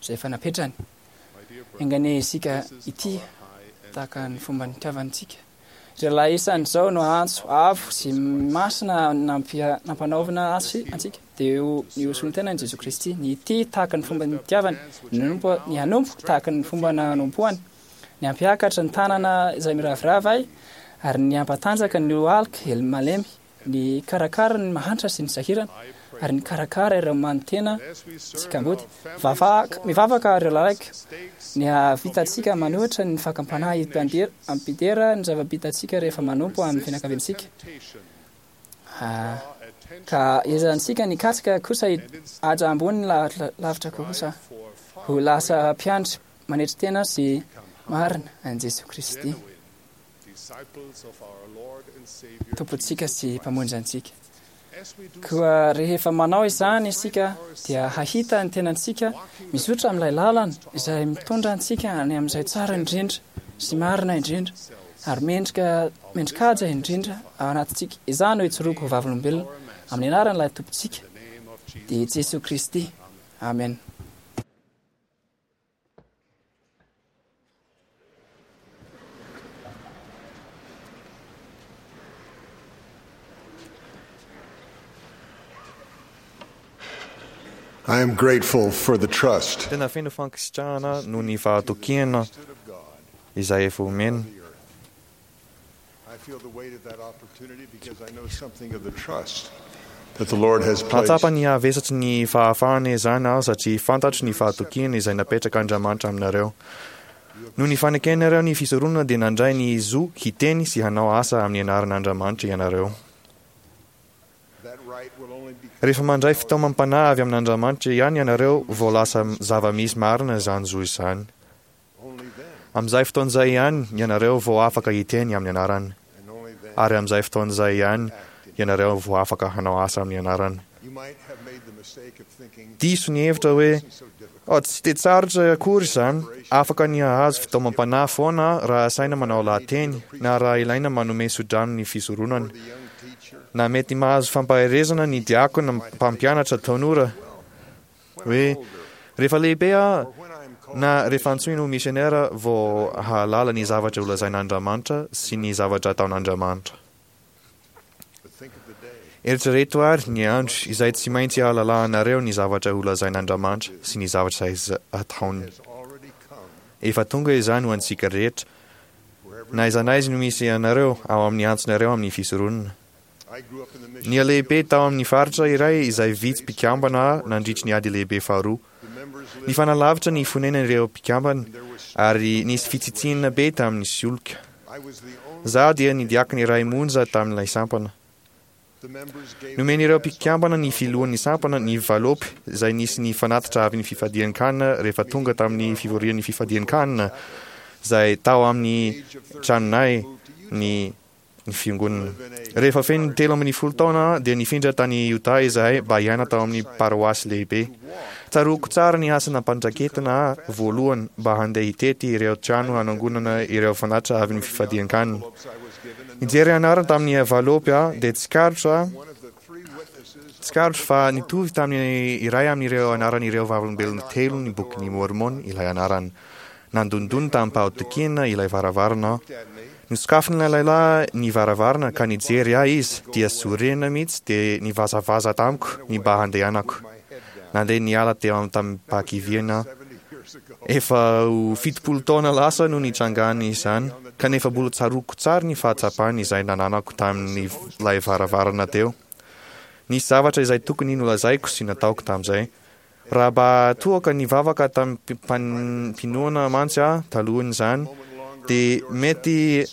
izay efa napetrany. Enga anie isika hitia tahaka ny fomba nitiavantsika. Ry lahy isany izao no antso avo sy masina nampanaovina azy antsika, dia ny ho solontenan'i Jesoa Kristy, ny hitia tahaka ny fomba nitiavany, ny hanompo, ny hanompo tahaka ny fomba nanompoany, ny hampiakatra ny tanana izay miraviravy ahy, ary ny hampatanjaka ny lohalika malemy. Ny hikarakara ny mahantra sy ny sahirana, ary ny hikarakara ireo manotena sy kamboty. Vavaka, mivavaka ireo lalaiko, ny hahavitantsika manohitra ny fakam-panahy hampidera ny zava-bitantsika rehefa manompo amin'ny fianakaviantsika. Ka ezahantsika ny hikatsaka kosa haja ambony lavitra kosa, ho lasa mpiandry manetry tena sy marina an'i Jesoa Kristy. Tompontsika sy Mpamonjy antsika. Koa rehefa manao izany isika dia hahita ny tenantsika mizotra amin'ilay lalana izay mitondra antsika any amin'izay tsara indrindra sy marina indrindra ary mendrika mendrikaja indrindra ao anatintsika. Izany no ijoroako ho vavolombelona amin'ny anaran'ilay Tompontsika, dia Jesoa Kristy. Amen. I am grateful for the trust Tena feno fankasitrahana noho ny fahatokiana izay efa omena. I feel the weight of that opportunity because I know something of the trust that the Lord has placed Mahatsapa ny havesatry ny fahafahana izany aho satria fantatro ny fahatokiana izay napetrak'Andriamanitra aminareo. Noho ny fanekenareo ny fisoronana dia nandray ny zo hiteny sy hanao asa amin'ny anaran'Andriamanitra ianareo. Rehefa mandray fitaomam-panahy avy amin'Andriamanitra ihany ianareo vao lasa zava-misy marina izany zo izany. Amin'izay fotoana izay ihany ianareo vao afaka hiteny amin'ny anarany. Ary amin'izay fotoana izay ihany ianareo vao afaka hanao asa amin'ny anarany. Diso ny hevitra hoe, Oh, tsy dia tsarotra akory izany. Afaka ny hahazo fitaomam-panahy foana aho raha asaina manao lahateny, na raha ilaina manome tsodrano ny fisoronana. Na mety mahazo fampaherezana ny diakona mpampianatra tanora. Hoe rehefa lehibe aho na rehefa antsoina ho misionera vao hahalala ny zavatra holazain'Andramanitra sy ny zavatra ataon'Andriamanitra. Eritrereto àry ny andro izay tsy maintsy ahalalahanareo ny zavatra holazain'Andramanitra sy ny zavatra izay ataony. Efa tonga izany ho antsika rehetra, na aiza na aiza no misy anareo ao amin'ny antsonareo amin'ny fisoronana. Nihalehibe tao amin'ny faritra iray izay vitsy mpikambana aho nandritry ny Ady Lehibe Faharoa. Nifanalavitra ny fonenan'ireo mpikambana, ary nisy fitsitsiana be tamin'ny solika. Izaho dia ny diakona iray monja tamin'ilay sampana. Nomen'ireo mpikambana ny filohan'ny sampana ny valopy izay nisy ny fanatitra avy ny fifadian-kanina rehefa tonga tamin'ny fivorian'ny fifadian-kanina izay tao amin'ny tranonay ny ny fiangonana. Rehefa feno telo ambin'ny folo taona aho dia nifindra tany Utah izahay mba hiaina tao amin'ny paroasy lehibe. Tsaroako tsara ny asa nampandraiketina ahy voalohany mba handeha hitety ireo trano hanangonana ireo fanatitra avy ny fifadian-kanina. Nijery anarana tamin'ny valopy aho dia tsikaritro tsikaritro fa nitovy tamin'ny iray amin'ireo anaran'ireo Vavolombelona telo ny Bokin'i Môrmôna ilay anarana. Nandondona tamim-pahatokiana ilay varavarana aho. Nosokafin'ilay lehilahy ny varavarana ka nijery ahy izy dia sorena mihitsy dia nivazavaza tamiko ny mba handehanako. Nandeha niala teo tamim-pahakiviana aho. Efa ho fitopolo taona lasa no nitrangany izany, kanefa mbola tsaroako tsara ny fahatsapana izay nananako tamin'ilay varavarana teo. Nisy zavatra izay tokony nolazaiko sy nataoko tamin'izay. Raha mba toa ka nivavaka tamim-pinoana mantsy aho talohan'izany, dia mety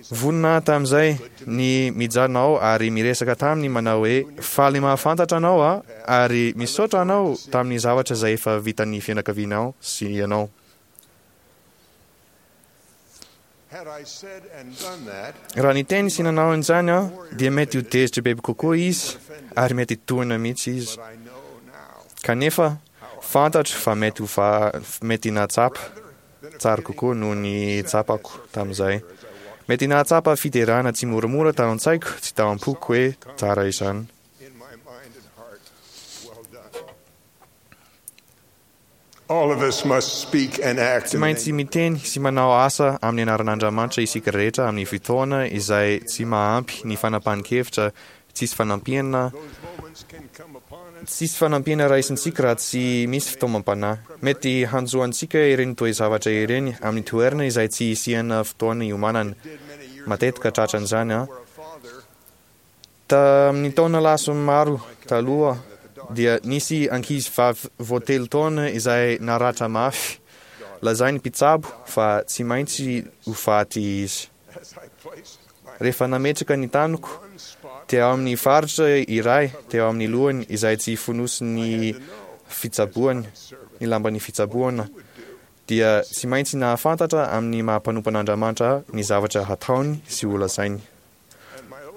vonona aho tamin'izay ny mijanona ao ary miresaka taminy manao hoe, Faly mahafantatra anao aho ary misaotra anao tamin'ny zavatra izay efa vitan'ny fianakavianao sy ianao. Raha niteny sy nanao an'izany aho, dia mety ho tezitra bebe kokoa izy ary mety hitohina mihitsy izy. Kanefa, fantatro fa mety ho fa mety nahatsapa tsara kokoa noho ny tsapako tamin'izay. Mety nahatsapa fiderana tsy moramora tao an-tsaiko sy tao am-poko hoe tsara izany. Tsy maintsy miteny sy manao asa amin'ny anaran'Andriamanitra isika rehetra amin'ny fotoana izay tsy mahampy ny fanapahan-kevitra tsisy fanampiana tsisy fanampiana raisintsika raha tsy misy fitaomam-panahy. Mety hanjo antsika ireny toe-javatra ireny amin'ny toerana izay tsy isiana fotoana iomanana. Matetika tratran'izany aho. Tamin'ny taona lasa maro taloha dia nisy ankizy vavy vao telo taona izay naratra mafy. Lazain'ny mpitsabo fa tsy maintsy ho faty izy. Rehefa nametraka ny tanako teo amin'ny faritra iray teo amin'ny lohany izay tsy fonosin'ny fitsaboana, ny lamban'ny fitsaboana, dia tsy maintsy nahafantatra amin'ny maha mpanompon'Andriamanitra ahy ny zavatra hataony sy holazainy.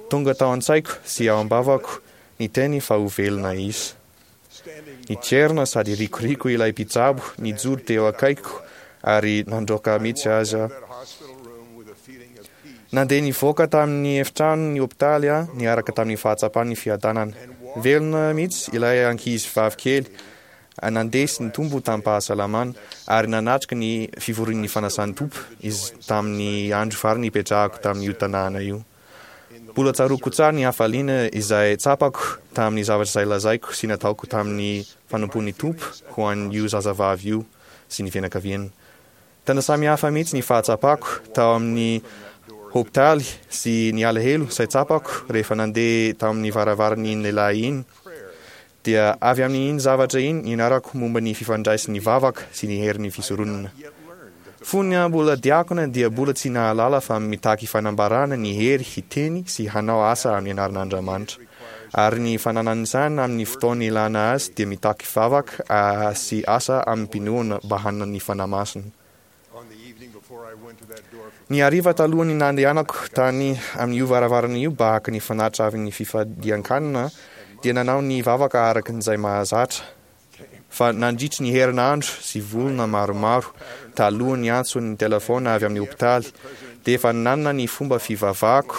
Tonga tao an-tsaiko sy ao am-bavako ny teny fa ho velona izy. Nitrerona sady rikoriko ilay mpitsabo nijoro teo akaikiko ary nandroaka mihitsy aza. Nandeha nivoaka tamin'ny efitrano ny hopitaly aho niaraka tamin'ny fahatsapan'ny fiadanana. Velona mihitsy ilay ankizy vavy kely Nandeha sy nitombo tamim-pahasalamana ary nanatrika ny fivorian'ny Fanasan'ny Tompo izy tamin'ny andro farany nipetrahako tamin'io tanàna io. Mbola tsaroako tsara ny hafaliana izay tsapako tamin'ny zavatra izay lazaiko sy nataoko tamin'ny fanompoan'ny Tompo ho an'io zazavavy io sy ny fianakaviany. Tena samy hafa mihitsy ny fahatsapako tao amin'ny hopitaly sy ny alahelo izay tsapako rehefa nandeha tamin'ny varavaran'iny lehilahy iny. Dia avy amin'iny zavatra iny nianarako momba ny fifandraisan'ny vavaka sy ny herin'ny fisoronana. Fony aho mbola diakona dia mbola tsy nahalala fa mitaky fanambarana ny hery hiteny sy hanao asa amin'ny anaran'Andriamanitra. Ary ny fananan'izany amin'ny fotoana ilana azy dia mitaky vavaka sy asa amim-pinoana mba hanana ny Fanahy Masina. Ny hariva talohan'ny nandehanako tany amin'io varavarana io mba haka ny fanatitra avy ny fifadian-kanina dia nanao ny vavaka araka izay mahazatra fa nandritry ny herinandro sy volana maromaro talohan'ny antson'ny telefaona avy amin'ny hopitaly dia efa nanana ny fomba fivavahako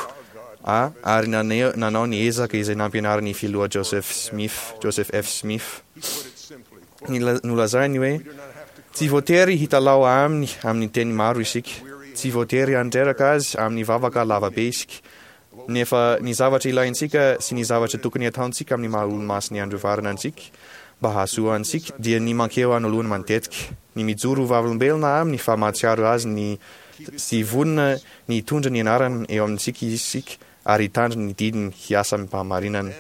aho ary nanao ny ezaka izay nampianarin'ny filoha Joseph Smith, Joseph F. Smith. Nolazainy hoe, Tsy voatery hitalaho aminy amin'ny teny maro isika. Tsy voatery handreraka azy amin'ny vavaka lava be isika. Nefa ny zavatra ilaintsika sy ny zavatra tokony hataontsika amin'ny maha Olomasin'ny Andro Farany antsika mba hahasoa antsika dia ny mankeo anoloany matetika, ny mijoro ho vavolombelona aminy fa mahatsiaro azy ny sy vonona ny hitondra ny anarany eo amintsika isika ary hitandrina ny didiny hiasa amim-pahamarinana.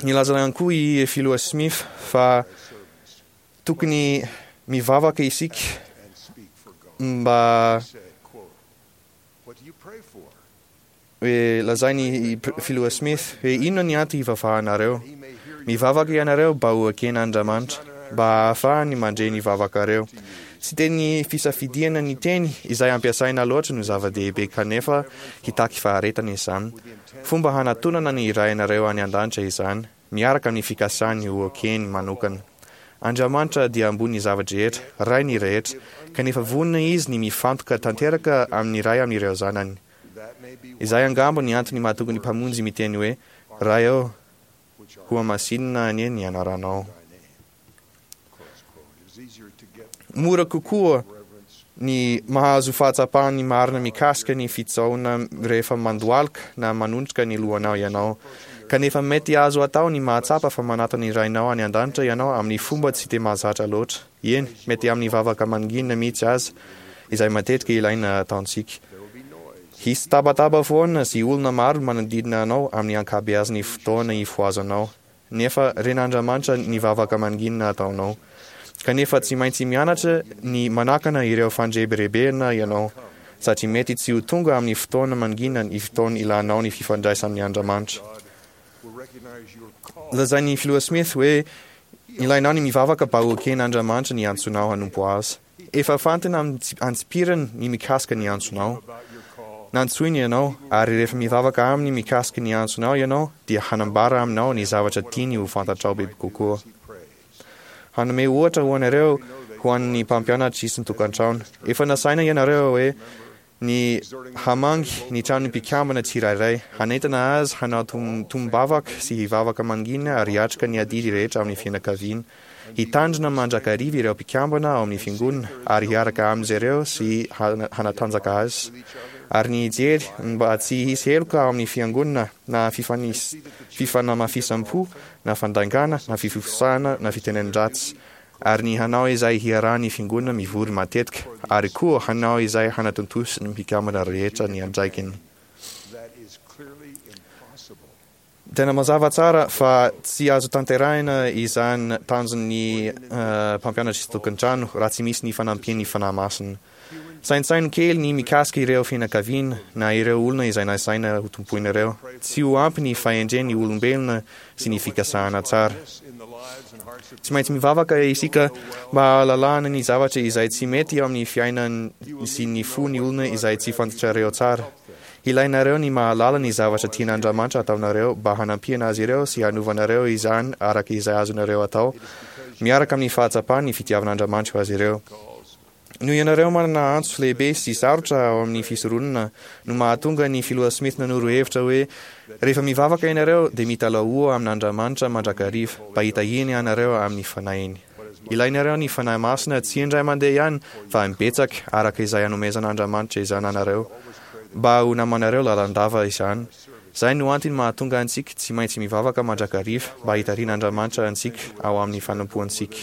Nilaza ihany koa i Filoha Smith fa tokony mivavaka isika mba hoe lazain'i Filoha Smith hoe inona ny antony hivavahanareo. Mivavaka ianareo mba ho eken'Andriamanitra. mba hahafahany mandre ny vavakareo. Tsy teny fisafidiana ny teny izay ampiasaina loatra no zava-dehibe kanefa hitaky faharetana izany. Fomba hanatonana ny Rainareo any an-danitra izany, miaraka amin'ny fikasany ho ekeny manokana. Andriamanitra dia ambonin'ny zava-drehetra, Rain'ny rehetra, kanefa vonona Izy ny mifantoka tanteraka amin'ny iray amin'ireo zanany. Izay angamba ny antony mahatonga ny Mpamonjy miteny hoe, Ray ô, hohamasinina anie ny anaranao. Mora kokoa ny mahazo fahatsapana ny marina mikasika ny fitsaohana rehefa mandohalika na manondrika ny lohanao ianao. Kanefa mety azo atao ny mahatsapa fa manatona ny Rainao any an-danitra ianao amin'ny fomba tsy dia mahazatra loatra. Eny, mety amin'ny vavaka mangina mihitsy aza, izay matetika ilaina ataontsika. Hisy tabataba foana sy olona maro manodidina anao amin'ny ankabeazan'ny fotoana ifohazanao. Nefa ren'Andriamanitra ny vavaka mangina ataonao. Kanefa tsy maintsy mianatra ny manakana ireo fandrebirebena ianao, satria mety tsy ho tonga amin'ny fotoana mangina ny fotoana ilanao ny fifandraisana amin' Andriamanitra. Lazain'ny Filoha Smith hoe ilainao ny mivavaka mba ho eken'Andriamanitra ny antsonao hanompo Azy. Efa fantana antsipiriny ny mikasika ny antsonao. Nantsoiny ianao, ary rehefa mivavaka Aminy mikasika ny antsonao ianao, dia hanambara aminao ny zavatra tiany ho fantatrao bebe kokoa. Hanome ohatra ho anareo ho an'ny mpampianatra isan-tokantrano. Efa nasaina ianareo hoe ny hamangy ny tranon'ny mpikambana tsirairay, hanentana azy hanao tonom-bavaka sy hivavaka mangina ary hiatrika ny adidy rehetra amin'ny fianakaviana. Hitandrina mandrakariva ireo mpikambana ao amin'ny fiangonana ary hiaraka amin'izy ireo sy hanatanjaka azy. Ary ny hijery mba tsy hisy heloka ao amin'ny fiangonana na fifanamafisam-po na fandaingana na fifofosana na fitenenan-dratsy. Ary ny hanao izay hiarahan'ny fiangonana mivory matetika, ary koa hanao izay hanatontosan'ny mpikambana rehetra ny andraikiny. Tena mazava tsara fa tsy azo tanterahina izany tanjon'ny mpampianatra isan-tokantrano raha tsy misy ny fanampian'ny Fanahy Masina. Saintsaino kely ny mikasika ireo fianakaviana na ireo olona izay nasaina hotompoinareo. Tsy ho ampy ny fahendren'ny olombelona sy ny fikasana tsara. Tsy maintsy mivavaka isika mba hahalalana ny zavatra izay tsy mety eo amin'ny fiainany sy ny fon'ny olona izay tsy fantatrareo tsara. Ilainareo ny mahalala ny zavatra tian'Andriamanitra ataonareo mba hanampiana azy ireo sy hanovanareo izany araka izay azonareo atao, miaraka amin'ny fahatsapany ny fitiavan'Andriamanitra ho azy ireo. Noho ianareo manana antso lehibe sy sarotra ao amin'ny fisoronana no mahatonga ny Filoha Smith nanoro hevitra hoe, Rehefa mivavaka ianareo dia mitalahoa amin'Andriamanitra mandrakariva mba hitahiany anareo amin'ny Fanahiny. Ilainareo ny Fanahy Masina tsy indray mandeha ihany fa imbetsaka araka izay anomezan'Andriamanitra izany anareo mba ho namanareo lalandava izany. Izay no antony mahatonga antsika tsy maintsy mivavaka mandrakariva mba hitarihin'Andriamanitra antsika ao amin'ny fanompoantsika.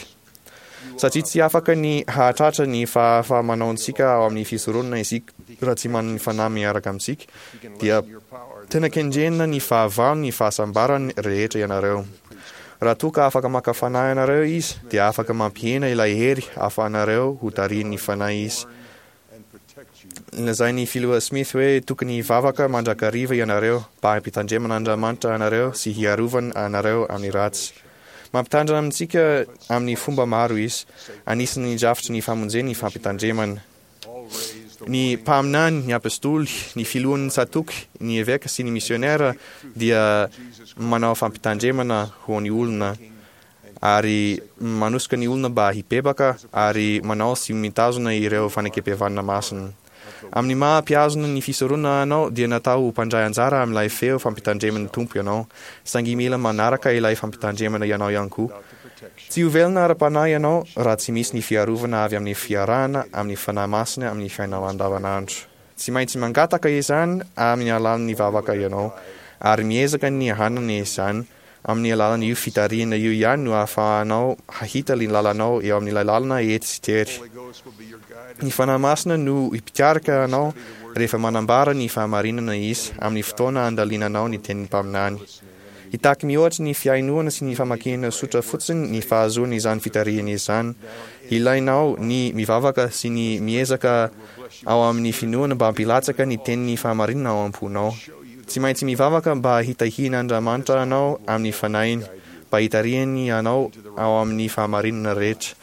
Satria tsy afaka ny hahatratra ny fahafaha-manaontsika ao amin'ny fisoronana isika raha tsy manana ny Fanahy miaraka amintsika, dia tena kendrena ny fahavalony ny fahasambarany rehetra ianareo. Raha toa ka afaka maka fanahy anareo izy, dia afaka mampihena ilay hery ahafahanareo ho tarihin'ny Fanahy izy. Lazain'ny Filoha Smith hoe tokony hivavaka mandrakariva ianareo mba hampitandreman'Andriamanitra anareo sy hiarovany anareo amin'ny ratsy. Mampitandrina amintsika amin'ny fomba maro Izy. Anisan'ny drafitry ny famonjeny ny fampitandremana. Ny mpaminany, ny apostoly, ny filohan'ny tsatòky, ny eveka sy ny misiônera dia manao fampitandremana ho an'ny olona. Ary manosika ny olona mba hibebaka ary manao sy mitazona ireo fanekempihavanana masina. Amin'ny maha mpihazona ny fisoronana anao dia natao ho mpandray anjara amin'ilay feo fampitandreman'ny Tompo ianao, saingy mila manaraka ilay fampitandremana ianao ihany koa. Tsy ho velona ara-panahy ianao raha tsy misy ny fiarovana avy amin'ny fiarahana amin'ny Fanahy Masina amin'ny fiainanao andavanandro. Tsy maintsy mangataka izany amin'ny alalan'ny vavaka ianao, ary miezaka ny hanana izany Amin'ny alalan'io fitarihana io ihany no ahafahanao hahita ny lalanao eo amin'ilay lalana ety sy tery. Ny Fanahy Masina no hipikarika anao rehefa manambara ny fahamarinana Izy amin'ny fotoana andalinanao ny tenin'ny mpaminany. Hitaky mihoatra ny fihainoana sy ny famakiana sotra fotsiny ny fahazoana izany fitarihana izany. Ilainao ny mivavaka sy ny miezaka ao amin'ny finoana mba hampilatsaka ny tenin'ny fahamarinana ao am-ponao. Tsy maintsy mivavaka mba hitahian'Andriamanitra anao amin'ny Fanahiny, mba hitarihany anao ao amin'ny fahamarinana rehetra.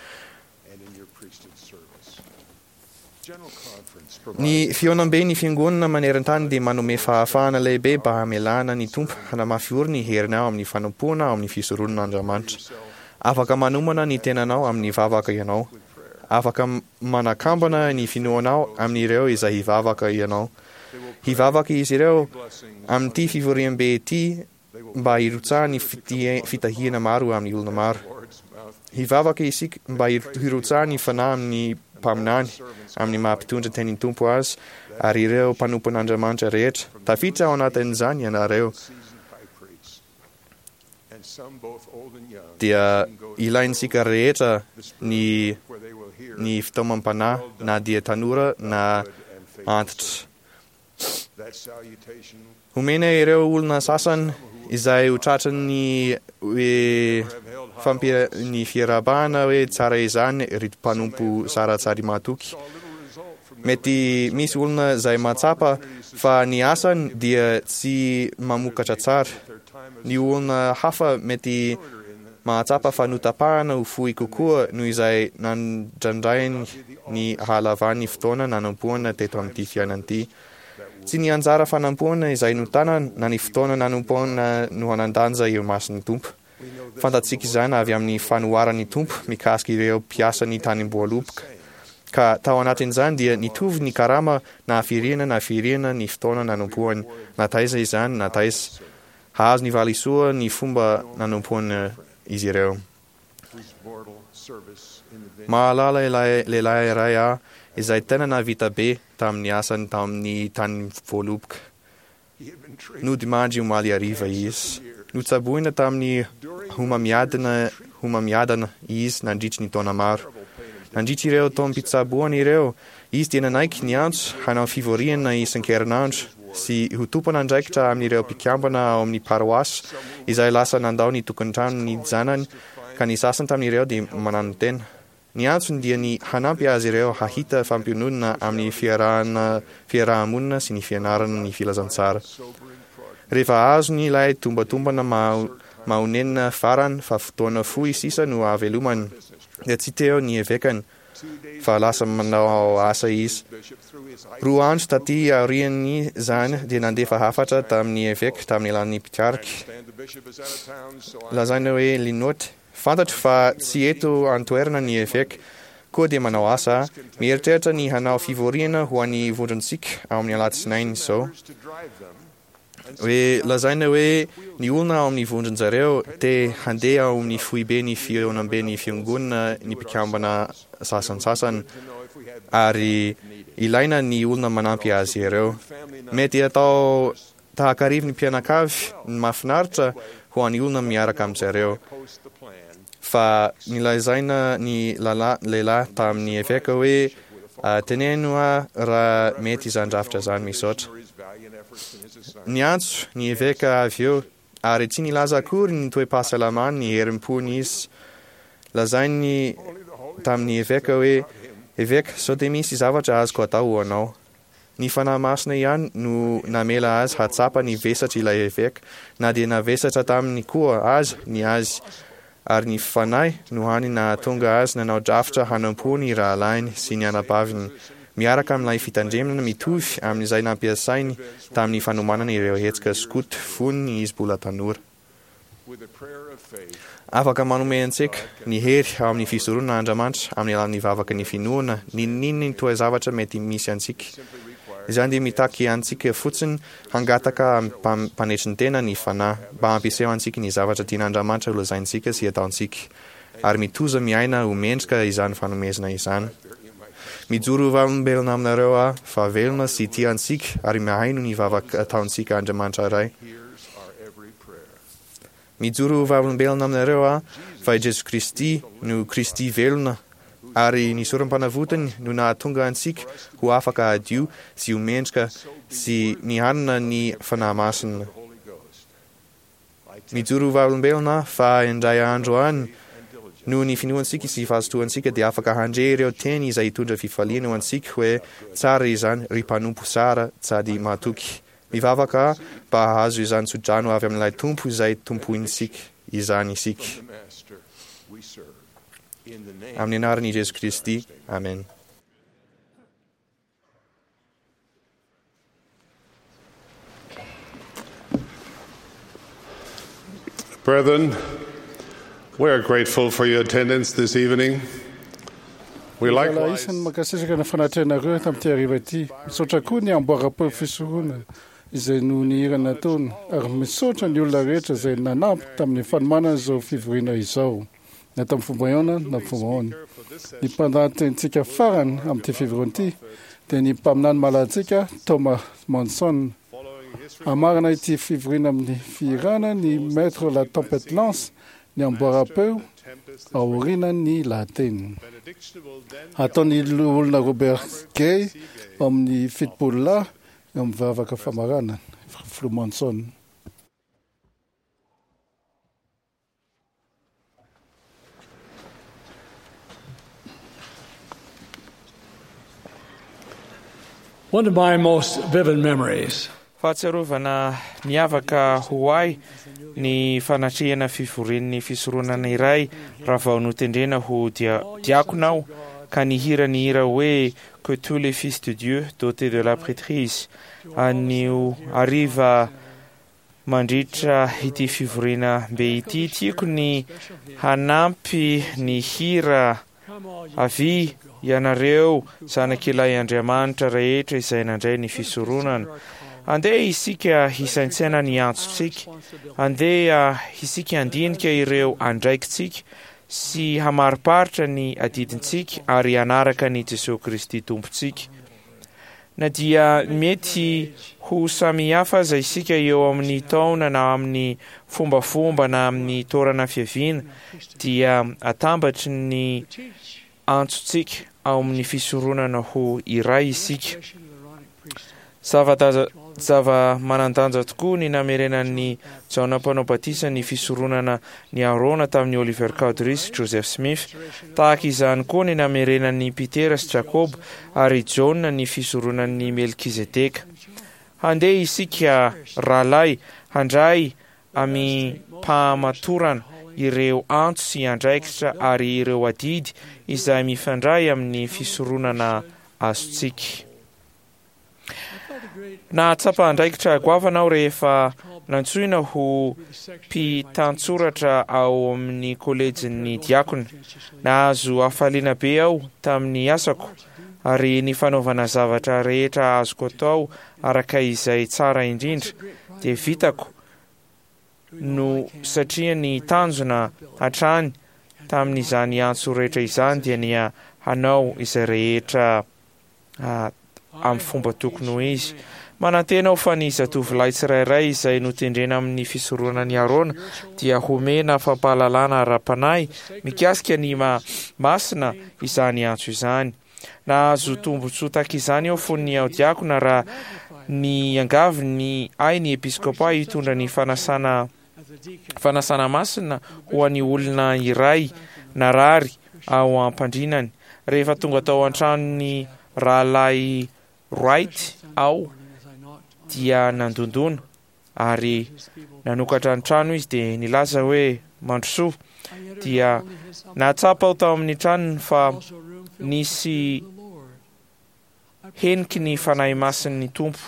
Ny fihaonamben'ny Fiangonana maneran-tany dia manome fahafahana lehibe mba hamelana ny Tompo hanamafy orina ny heriny ao amin'ny fanompoana ao amin'ny fisoronan'Andriamanitra. Afaka manomana ny tenanao amin'ny vavaka ianao. Afaka manakambana ny finoanao amin'ireo izay hivavaka ianao. Hivavaka izy ireo amin'ity fivoriambe ity mba hirotsahan'ny fitahiana maro amin'ny olona maro. Hivavaka isika mba hirotsahan'ny Fanahy amin'ny mpaminany, amin'ny maha-mpitondra tenin'ny Tompo azy, ary ireo mpanompon'Andriamanitra rehetra. Tafiditra ao anatin'izany ianareo. Dia ilaintsika rehetra ny ny fitaomam-panahy, na dia tanora na antitra. Omena ireo olona sasany izay ho tratran'ny hoe fampi- ny fiarahabana hoe tsara izany ry mpanompo saratsary mahatoky. Mety misy olona izay mahatsapa fa ny asany dia tsy mamokatra tsara. Ny olona hafa mety mahatsapa fa notapahana ho fohy kokoa noho izay nandrandrainy ny hahalavan'ny fotoana nanompoana teto amin'ity fiainana ity. Tsy ny anjara fanampoana izay notanana na ny fotoana nanompoana no hanan-danja eo imason'ny Tompo. Fantatsika izany avy amin'ny fanoharan'ny Tompo mikasika ireo mpiasan'ny tanim-boaloboka, ka tao anatin'izany dia nitovy ny karama na hafiriana na hafiriana ny fotoana nanompoany, na taiza izany na taiza. Hahazo ny valisoa ny fomba nanompoana izy ireo. Mahalala ilay lehilahy iray aho izay tena nahavita be tamin'ny asany tamin'ny tanim-boaloboka. Nodimandry omaly hariva izy. Notsaboina tamin'ny homamiadana homamiadana izy nandritry ny taona maro. Nandritry ireo taom-pitsaboana ireo, izy dia nanaiky ny antso hanao fivoriana isan-kerinandro sy ho tompon'andraikitra amin'ireo mpikambana ao amin'ny paroasy izay lasa nandao ny tokantranony zanany ka ny sasany tamin'ireo dia mananotena. Ny antsony dia ny hanampy azy ireo hahita fampiononana amin'ny fiarahana fiaraha-monina sy ny fianarana ny filazantsara. Rehefa azony ilay tombatombana mahonena farany fa fotoana fohy sisa no hahavelomany dia tsy teo ny evekany fa lasa manao asa izy. Roa andro taty aorian'izany dia nandefa hafatra tamin'ny eveka tamin'ny alalan'ny mpikaroka lazaina hoe Linotte. Fantatro fa tsy eto an-toerana ny eveka, koa dia manao asa aho. Mieritreritra ny hanao fivoriana ho an'ny vondrontsika amin'ny alatsinainy izao. Hoe lazaina hoe ny olona ao amin'ny vondron-jareo te handeha ao amin'ny foibe ny fihaonamben'ny fiangonana ny mpikambana sasantsasany ary ilaina ny olona manampy azy ireo. Mety atao tahakarivo ny mpianakavy ny mahafinaritra ho an'ny olona miaraka amin-jareo. Fa nilazaina ny lehilahy tamin'ny eveka hoe, Teneno aho raha mety izany rafitra izany, misaotra. Niantso ny eveka avy eo ary tsy nilaza akory ny toe-pahasalamany ny herim-pony izy. Lazainy tamin'ny eveka hoe, Eveka, sao dia misy zavatra azoko atao ho anao? Ny Fanahy Masina ihany no namela azy hahatsapa ny vesatr' ilay eveka, na dia navesatra taminy koa aza ny azy, ary ny Fanahy no hany nahatonga azy nanao drafitra hanompo ny rahalahiny sy ny anabaviny miaraka amin'ilay fitandremana mitovy amin'izay nampiasainy tamin'ny fanomanana ireo hetsika skoto fony izy mbola tanora. Afaka manome antsika ny hery ao amin'ny fisoronana Andriamanitra amin'ny alalan'ny vavaka ny finoana, n'inon'inona ny toe-zavatra mety misy antsika. Izany dia mitaky antsika fotsiny hangataka amim-panetren-tena ny Fanahy mba hampiseho antsika ny zavatra tian'Andriamanitra holazaintsika sy hataontsika, ary mitoza miaina ho mendrika izany fanomezana izany. Mijoro ho vavolombelona aminareo aho fa velona sy tia antsika ary mihaino ny vavaka ataontsika Andriamanitra Ray. Mijoro ho vavolombelona aminareo aho fa i Jesoa Kristy no Kristy velona ary ny sorom-panavotany no nahatonga antsika ho afaka hadio sy ho mendrika sy ny hanana ny Fanahy Masina. Mijoro ho vavolombelona aho fa indray andro any, noho ny finoantsika sy fahazotoantsika dia afaka handre ireo teny izay hitondra fifaliana ho antsika hoe, Tsara izany, ry mpanompo tsara sady mahatoky. Mivavaka aho mba hahazo izany tsodrano avy amin'ilay Tompo izay tompointsika izany isika. Amin'ny anaran'i Jesoa Kristy, amen. Brethren, we are grateful for your attendance this evening. We likewise Isan'ny mankasitraka ny fanatrehanareo tamin'ity hariva ity. Misaotra koa ny amboara-peo fisorona izay no nihira nataony, ary misaotra ny olona rehetra izay nanampy tamin'ny fanomanana izao fivoriana izao, na tamin'ny fomba ahoana na fomba ahoana. Ny mpandahatenintsika farany amin'ity fivoriana ity dia ny mpaminany malantsika Thomas Monson. Hamarana ity fivoriana amin'ny fihirana ny Maître la Tempête Lance ny amboara-peo aorian'ny lahateny. Ataon'ny olona Robert Gay amin'ny fitopolo lahy amin'ny vavaka famarana, Filoha Monson. One of my most vivid memories Fahatsiarovana miavaka ho ahy ny fanatrehana fivorian'ny fisoronana iray raha vao notendrena ho dia diakona aho ka nihira ny hira hoe Que tous les fils de Dieu dotés de la prêtrise anio hariva mandritra ity fivoriana be ity. Tiako ny hanampy ny hira avy ianareo zanak'ilay Andriamanitra rehetra izay nandray ny fisoronana. Andeha isika hisaintsaina ny antsontsika, andeha isika handinika ireo andraikitsika sy hamariparitra ny adidintsika ary hanaraka an'i Jesoa Kristy Tompontsika. Na dia mety ho samihafa aza isika eo amin'ny taona na amin'ny fombafomba na amin'ny toerana fiaviana, dia atambatry ny antsontsika ao amin'ny fisoronana ho iray isika. Zava-daza zava-manan-danja tokoa ny namerenan'i Jaona Mpanao Batisa ny fisoronana ny Arona tamin'i Oliver Cowdery sy Joseph Smith. Tahaka izany koa ny namerenan'i Petera sy Jakoba ary Jaona ny fisoronan'i Melkizedeka. Handeha isika, rahalahy, handray amim-pahamatorana ireo antso sy andraikitra ary ireo adidy izay mifandray amin'ny fisoronana azontsika. Nahatsapa andraikitra goavana aho rehefa nantsoina ho mpitantsoratra ao amin'ny kolejin'ny diakona. Nahazo hafaliana be aho tamin'ny asako, ary ny fanaovana zavatra rehetra azoko atao araka izay tsara indrindra dia vitako no satria ny tanjona hatrany tamin'izany antso rehetra izany dia ny hanao izay rehetra amin'ny fomba tokony ho izy. Manantena aho fa ny zatovolahy tsirairay izay notendrena amin'ny fisoronan'i Arona dia homena fampahalalana ara-panahy mikasika ny maha masina izany antso izany. Nahazo tombontsoa tahaka izany aho fony aho diakona raha niangavy ny ahy ny episkopa hitondra ny fanasana fanasana masina ho an'ny olona iray narary ao am-pandrinany. Rehefa tonga tao an-tranon'ny rahalahy Wright aho dia nandondona ary nanokatra ny trano izy dia nilaza hoe mandrosoa. Dia nahatsapa aho tao amin'ny tranony fa nisy heniky ny Fanahy Masin'ny Tompo.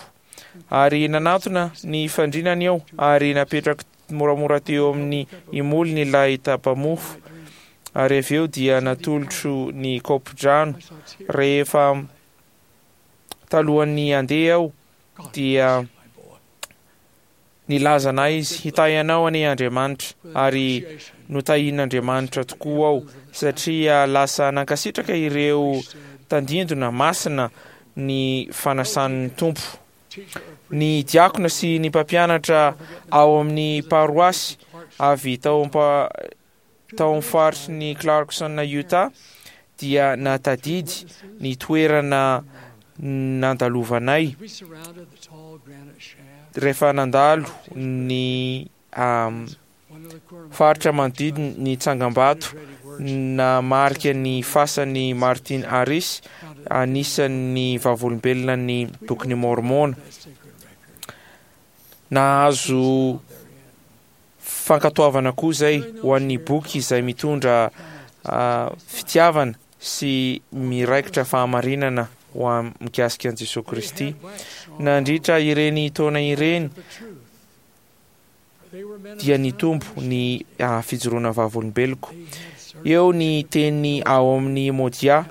Ary nanatona ny fandrinany aho ary napetrako moramora teo amin'ny imolony ilay tapa-mofo, ary avy eo dia natolotro ny kaopin-drano. Rehefa talohan'ny handeha aho dia Nilazana izy, Hitahy anao anie Andriamanitra, ary notahian'Andriamanitra tokoa aho, satria lasa nankasitraka ireo tandindona masina ny fanasan'ny Tompo. Ny diakona sy ny mpampianatra ao amin'ny paroasy avy tao tao amin'ny faritry ny Clarkson Utah dia nahatadidy ny toerana nandalovanay rehefa nandalo ny faritra manodidina ny tsangambato namarika ny fasan'i Martin Harris, anisan'ny vavolombelona ny Bokin'i Môrmôna. Nahazo Fankatoavana koa izay ho an'ny boky izay mitondra fitiavana sy miraikitra fahamarinana ho an mikasika an'i Jesoa Kristy. Nandritra ireny taona ireny dia nitombo ny fijoroana vavolombeloko. Eo ny teny ao amin'ny Modia,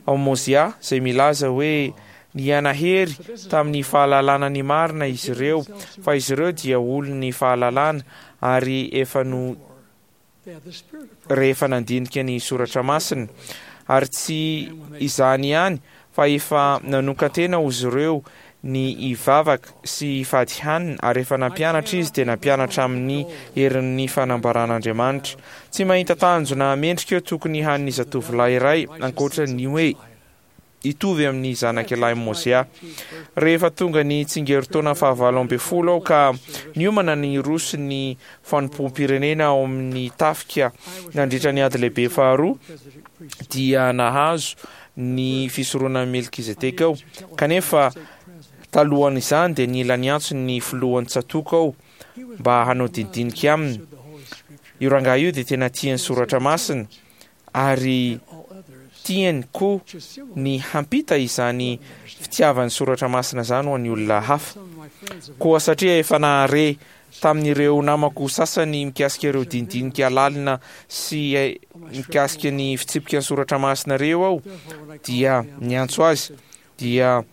ao Mozia izay milaza hoe nihanahery tamin'ny fahalalana ny marina izy ireo, fa izy ireo dia olon'ny fahalalana ary efa no rehefa nandinika ny soratra masina. Ary tsy izany ihany fa efa nanokan-tena ozy ireo ny hivavaka sy hifady hanina, ary efa nampianatra izy dia nampianatra amin'ny herin'ny fanambaran'Andriamanitra. Tsy mahita tanjona mendrika eo tokony hanin'ny zatovolahy iray ankoatra ny hoe hitovy amin'ny zanak'ilahy Mozia. Rehefa tonga ny tsingerin-taona fahavalo ambin'ny folo aho ka niomana ny hiroso ny fanompoam-pirenena ao amin'ny tafika nandritra ny ady lehibe faharoa, dia nahazo ny fisoronan'i Melkizedeka aho. Kanefa talohan'izany dia nila niantso ny filohan'ny tsatòka aho mba hanao dinidinika aminy. Io rangahy io dia tena tia ny soratra masina ary tiany koa ny hampita izany fitiavany soratra masina izany ho an'ny olona hafa. Koa satria efa nahare tamin'ireo namako sasany mikasika ireo dinidinika lalina sy mikasika ny fitsipika ny soratra masina ireo aho, dia niantso azy, dia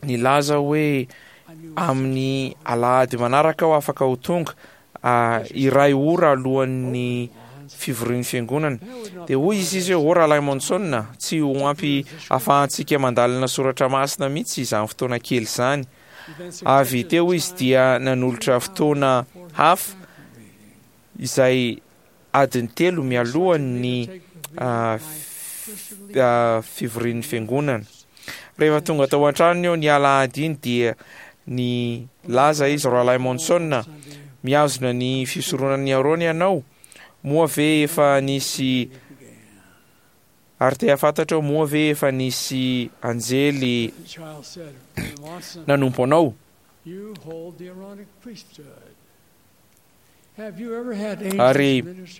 nilaza hoe amin'ny alahady manaraka aho afaka ho tonga iray ora alohan'ny fivorian'ny fiangonana. Dia hoy izy izy hoe, O Rahalahy Monson, tsy ho ampy ahafahantsika mandalina soratra masina mihitsy izany fotoana kely izany. Avy teo izy dia nanolotra fotoana hafa izay adiny telo mialohan'ny fivorian'ny fiangonana. Rehefa tonga tao an-tranony eo ny alahady iny dia nilaza izy, Rahalahy Monson, mihazona ny fisoronan'i Arona ianao? Moa ve efa nisy Ary te hahafantatra aho, moa ve efa nisy anjely nanompo anao? Ary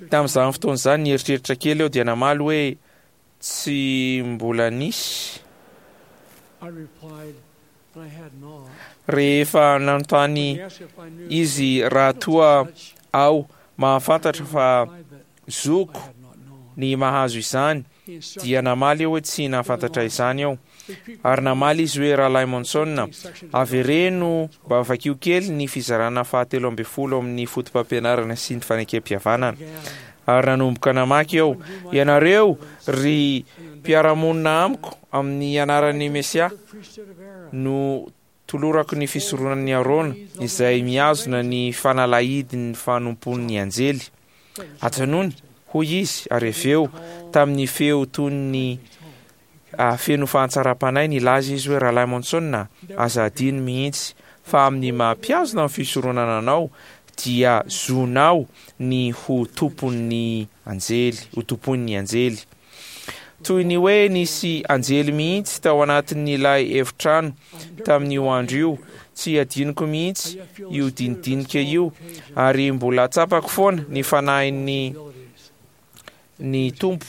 tamin'izany fotoana izany, nieritreritra kely aho dia namaly hoe, Tsy mbola nisy. Rehefa nanontany izy raha toa aho mahafantatra fa zoko ny mahazo izany, dia namaly aho hoe tsy nahafantatra izany aho. Ary namaly izy hoe, Rahalahy Monson, avereno mba vakio kely ny fizarana fahatelo ambin'ny folo amin'ny Fotopampianarana sy ny Fanekempihavanana. Ary nanomboka namaky aho, Ianareo, ry mpiara-monina amiko, amin'ny anaran'ny Mesia, no tolorako ny fisoronan'i Arona, izay mihazona ny fanalahidin'ny fanompoan'ny anjely. Ajanony, hoy izy, ary avy eo, tamin'ny feo toy ny feno fahatsaram-panahy, nilaza izy hoe, Rahalahy Monson, aza adino mihitsy fa amin'ny maha-mpihazona ny fisoronana anao, dia zonao ny ho tompon'ny anjely, ho tompoin'ny anjely. Toy ny hoe nisy anjely mihitsy tao anatin'ilay efitrano tamin'io andro io. Tsy adinoko mihitsy io dinidinika io, ary mbola tsapako foana ny fanahin'ny ny Tompo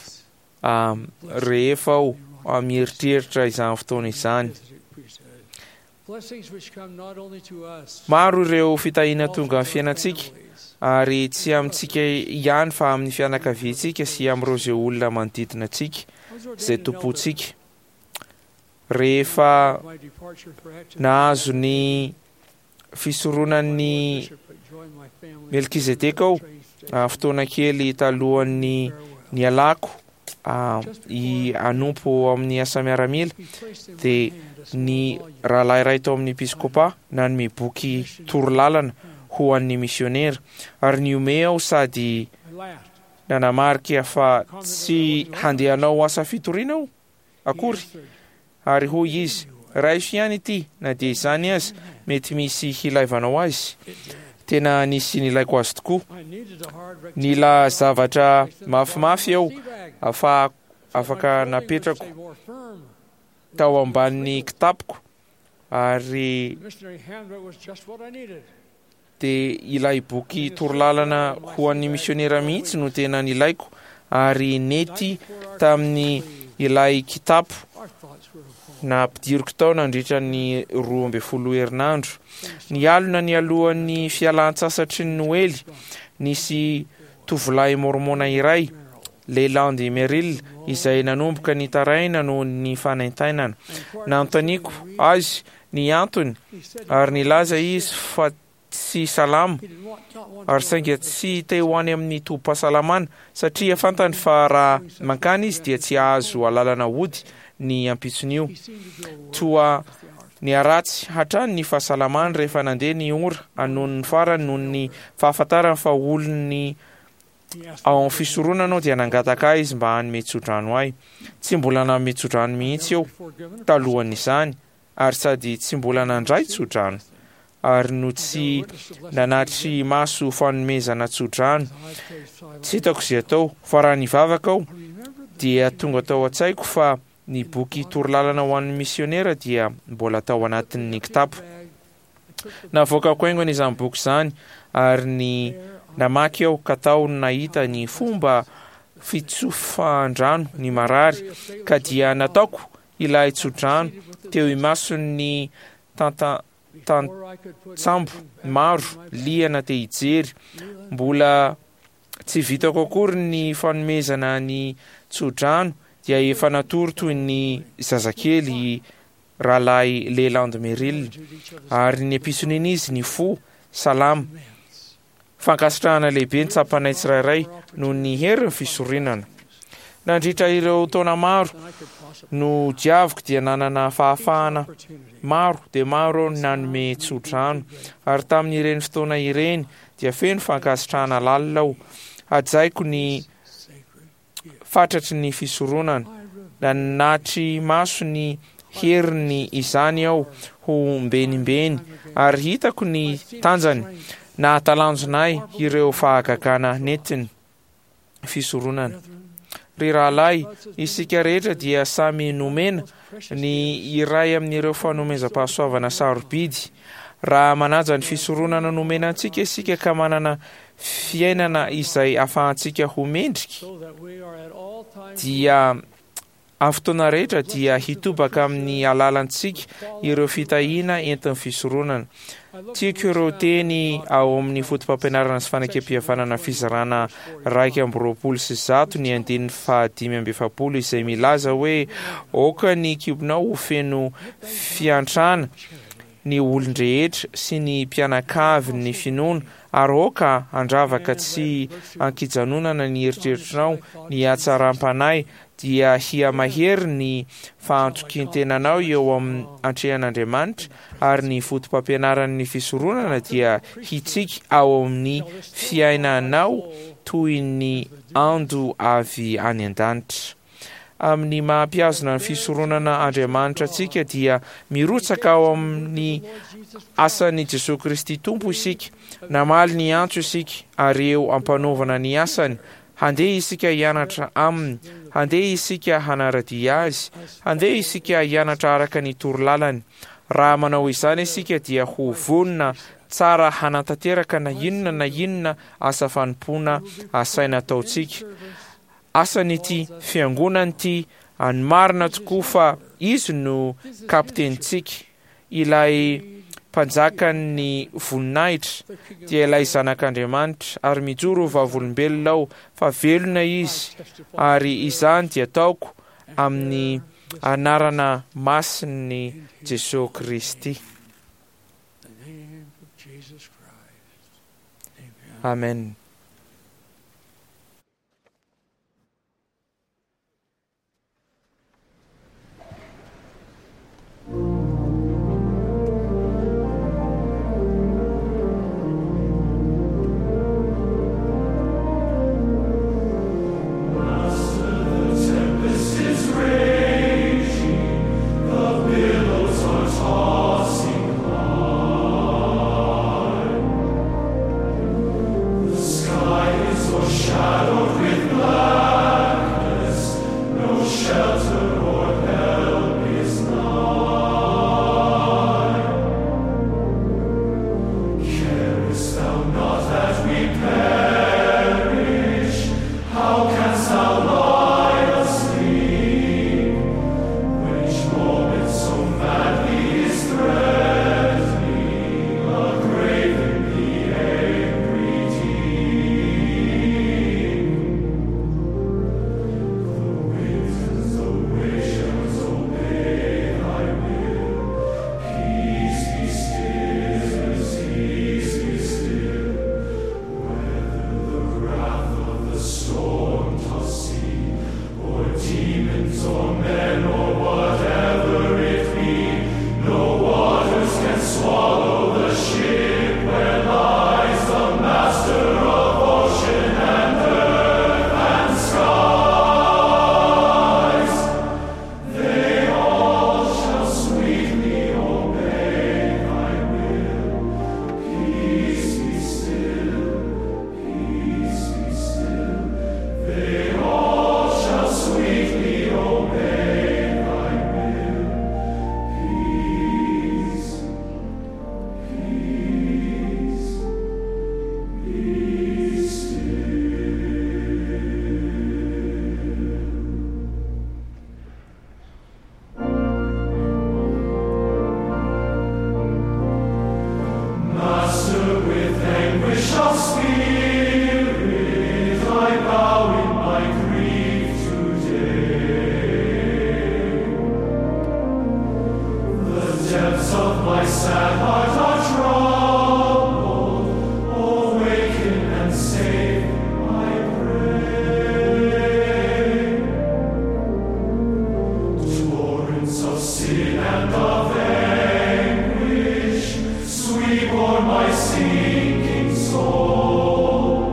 rehefa aho mieritreritra izany fotoana izany. Maro ireo fitahiana tonga amin'ny fiainantsika, ary tsy amintsika ihany fa amin'ny fianakaviantsika sy amin'ireo izay olona manodidina antsika, izay tompontsika. Rehefa nahazo ny fisoronan'i Melkizedeka aho, fotoana kely talohan'ny nialako hanompo ao amin'ny asa miaramila, dia ny rahalahy iray tao amin'ny episkopa nanome boky torolalana ho an'ny misionera, ary nihomehy aho sady nanamarika fa tsy handeha hanao asa fitoriana aho akory. Ary hoy izy, Raiso ihany ity, na dia izany aza, mety misy hilaivanao azy. Tena nisy nilaiko azy tokoa. Nila zavatra mafimafy aho afahako afaka napetrako tao ambanin'ny kitapoko, ary dia ilay boky torolalana ho an'ny misionera mihitsy no tena nilaiko, ary nety tamin'ny ilay kitapo nampidiriko tao nandritra ny roa ambin'ny folo herinandro. Nialona nialohan'ny fialan-tsasatry ny Noely, nisy tovolahy mormona iray, Leland Merrill, izay nanomboka nitaraina noho ny fanaintainana. Nanontaniako azy ny antony ary nilaza izy fa tsy salama ary saingy tsy te ho any amin'ny tobim-pahasalamana satria fantany fa raha mankany izy dia tsy hahazo alalana hody ny ampitson'io. Toa niharatsy hatrany ny fahasalamany rehefa nandeha ny ora noho ny farany noho ny fahafantarany fa olon'ny ao amin'ny fisoronana aho dia nangataka ahy izy mba hanome tsodrano ahy. Tsy mbola nanome tsodrano mihitsy aho talohan'izany ary sady tsy mbola nandray tsodrano ary no tsy nanatri maso fanomezana tsodrano. Tsy hitako izay atao fa raha nivavaka aho dia tonga tao an-tsaiko fa ny boky torolalana ho an'ny misionera dia mbola tao anatin'ny kitapo. Navoakako haingana izany boky izany ary ny namaky aho ka tao no nahita ny fomba fitsofan-drano ny marary ka dia nataoko ilay tsodrano teo imason'ny tantsambo maro liana te hijery. Mbola tsy vitako akory ny fanomezana ny tsodrano dia efa natory toy ny zazakely rahalahy Leland Merrill ary ny ampitson'iny izy nifoha salama. Fankasitrahana lehibe ny tsapanay tsirairay noho ny herin'ny fisoronana. Nandritra ireo taona maro no diaviko dia nanana fahafahana maro dia maro aho nanome tsodrano ary tamin'ireny fotoana ireny dia feno fankasitrahana lalina aho. Hajaiko ny fatratry ny fisoronana. Nanatri maso ny heriny izany aho ho mbenimbeny ary hitako ny tanjany. Nahatalanjona ahy ireo fahagagana nentiny fisoronana. Ry rahalahy, isika rehetra dia samy nomena ny iray amin'ireo fanomezam-pahasoavana sarobidy. Raha manaja ny fisoronana nomena antsika isika ka manana fiainana izay ahafahantsika ho mendrika, dia amin'ny fotoana rehetra dia hitobaka amin'ny alalantsika ireo fitahiana entin'ny fisoronana. Tiako ireo teny ao amin'ny fotopampianarana sy fanekempihavanana fizarana iraika amby roapolo sy zato ny andininy fahadimy amby efapolo izay milaza hoe aoka ny kibonao ho feno fiantrana ny olon-drehetra sy ny mpianakavin'ny finoana ary aoka handravaka tsy ankijanonana ny eritreritrinao ny hatsaram-panahy dia hihamahery ny fahantokin-tenanao eo amin'ny antrehan'Andriamanitra ary ny fotopampianaran'ny fisoronana dia hitsiky ao amin'ny fiainanao toy ny ando avy any an-danitra. Amin'ny maha-mpihazona ny fisoronana Andriamanitra antsika dia mirotsaka ao amin'ny asan'i Jesoa Kristy Tompo isika. Namaly ny antso isika ary eo am-panaovana ny asany. Handeha isika hianatra aminy, handeha isika hanara-dia azy, handeha isika hianatra araka ny torolalany. Raha manao izany isika dia ho vonona tsara hanatanteraka na inona na inona asa fanompoana asaina ataontsika. Asan'ity fiangonana ity any marina tokoa fa izy no kapitenintsika. Ilay Mpanjakan'ny voninahitra dia ilay Zanak'Andriamanitra, ary mijoro ho vavolombelona aho fa velona Izy, ary izany dia ataoko amin'ny anarana masin'i Jesoa Kristy. Amen. Tempest is raging, the billows are tossing high. The sky Anguish of spirit, I bow in my grief today. The depths of my sad heart are troubled. Awaken and save, I pray. Torrents of sin and of anguish sweep o'er my sinking soul,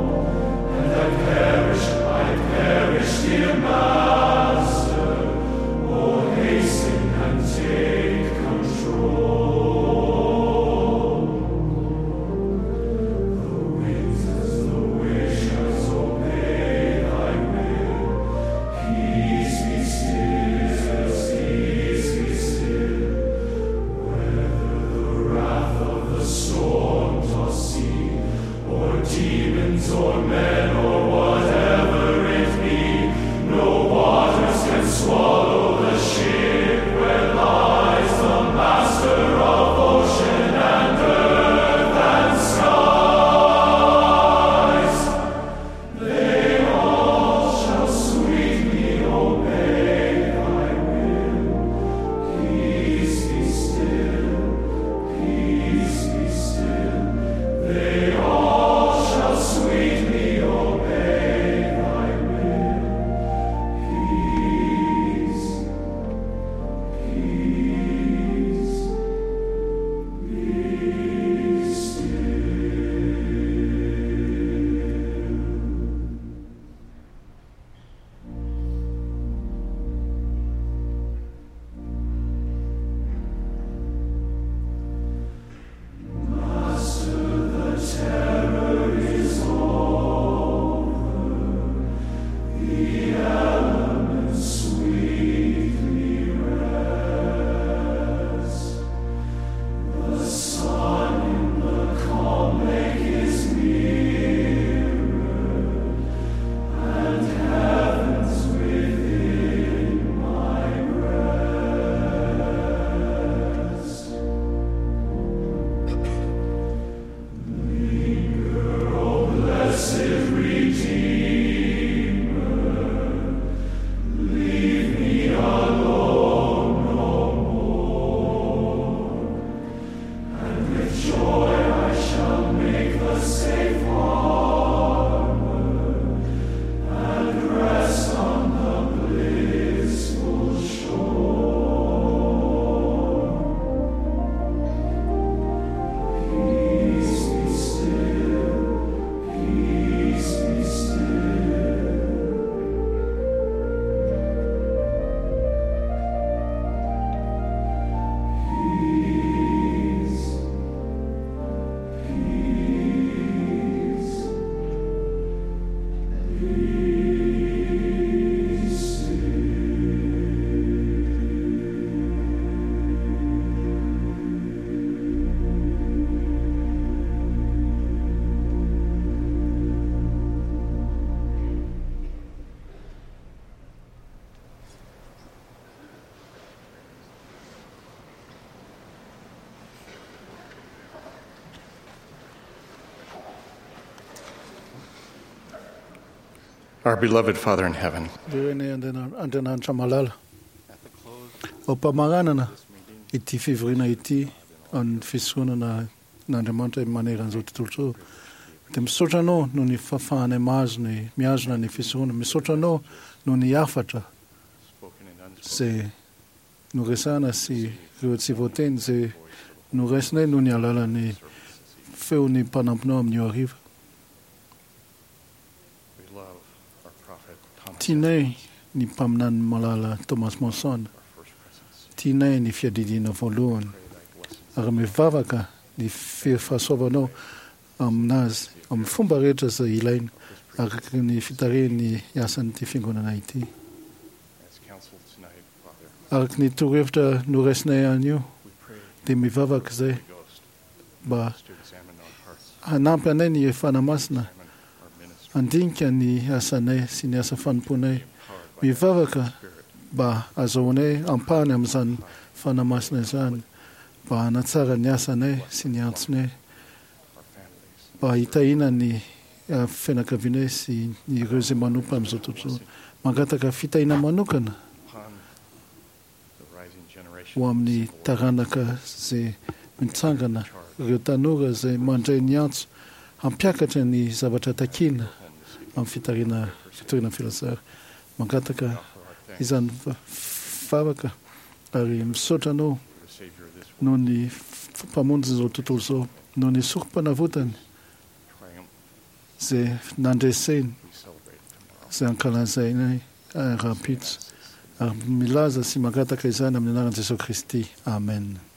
and I perish, I perish, dear Master. Oh, hasten and take control. The winds as the wishers obey thy will. Peace be still, peace be still. Whether the wrath of the storm tossed sea, or demons, or men, or whatever it be, no waters can swallow the ship where lies the master of ocean and earth and skies. They all shall sweetly obey thy will. Peace be still, peace be still. They all shall sweetly obey thy will. Peace, peace, be still. Master, the terror is over. The elements sweetly rest. The sun in the calm lake is mirrored, and heaven's within my breast. Linger, O blessed Redeemer, leave me alone no more, and with joy I shall make the safe harbor, and rest on the blissful shore. Peace be still, peace be still. Peace, peace, be still. Our beloved Father in heaven, Ry Andriamanitra malala ao am-pamaranana ity fivoriana ity amin'ny fisoronana n'Andriamanitra maneran'izao tontolo izao dia misaotra anao noho ny fahafahanay mahazo ny mihazona ny fisoronana misaotra anao noho ny hafatra zay noresahana sy ireo tsy voateny zay noraisinay noho ny alalan'ny feon'ny mpanompinao amin'io hariva we love our prophet Thomas. tianay ny mpaminany malala Thomas Monson tianay ny fiadidiana voalohany ary mivavaka ny fahasoavanao aminazy amin'ny fomba rehetra izay ilaina araka ny fitarihany asan'ity fiangonana ity As counseled tonight, Father, araka ny torohevitra noraisinay anio dia mivavaka izay mba to examine our hearts, hanampy anay ny Fanahy Masina our ministry, handinika ny asanay sy ny asa fanompoanay mivavaka mba azahoanay ampahany amin'izany Fanahy Masina izany mba hanatsara ny asanay sy ny antsonay our families, mba hitahiana ny fianakavianay sy ireo izay manompo amin'izao tontolo izao. Mangataka fitahiana manokana ho amin'ny taranaka izay mitsangana, ireo tanora izay mandray ny antso hampiakatra ny zavatra takiana amin'ny fitarihana fitoriana ny filazantsara. Mangataka izany vavaka ary misaotra Anao noho ny Mpamonjin'izao tontolo izao, noho ny sorom-panavotany izay nandreseny, izay ankalazainay rahampitso, ary milaza sy mangataka izany amin'ny anaran'i Jesosy Kristy. Amen.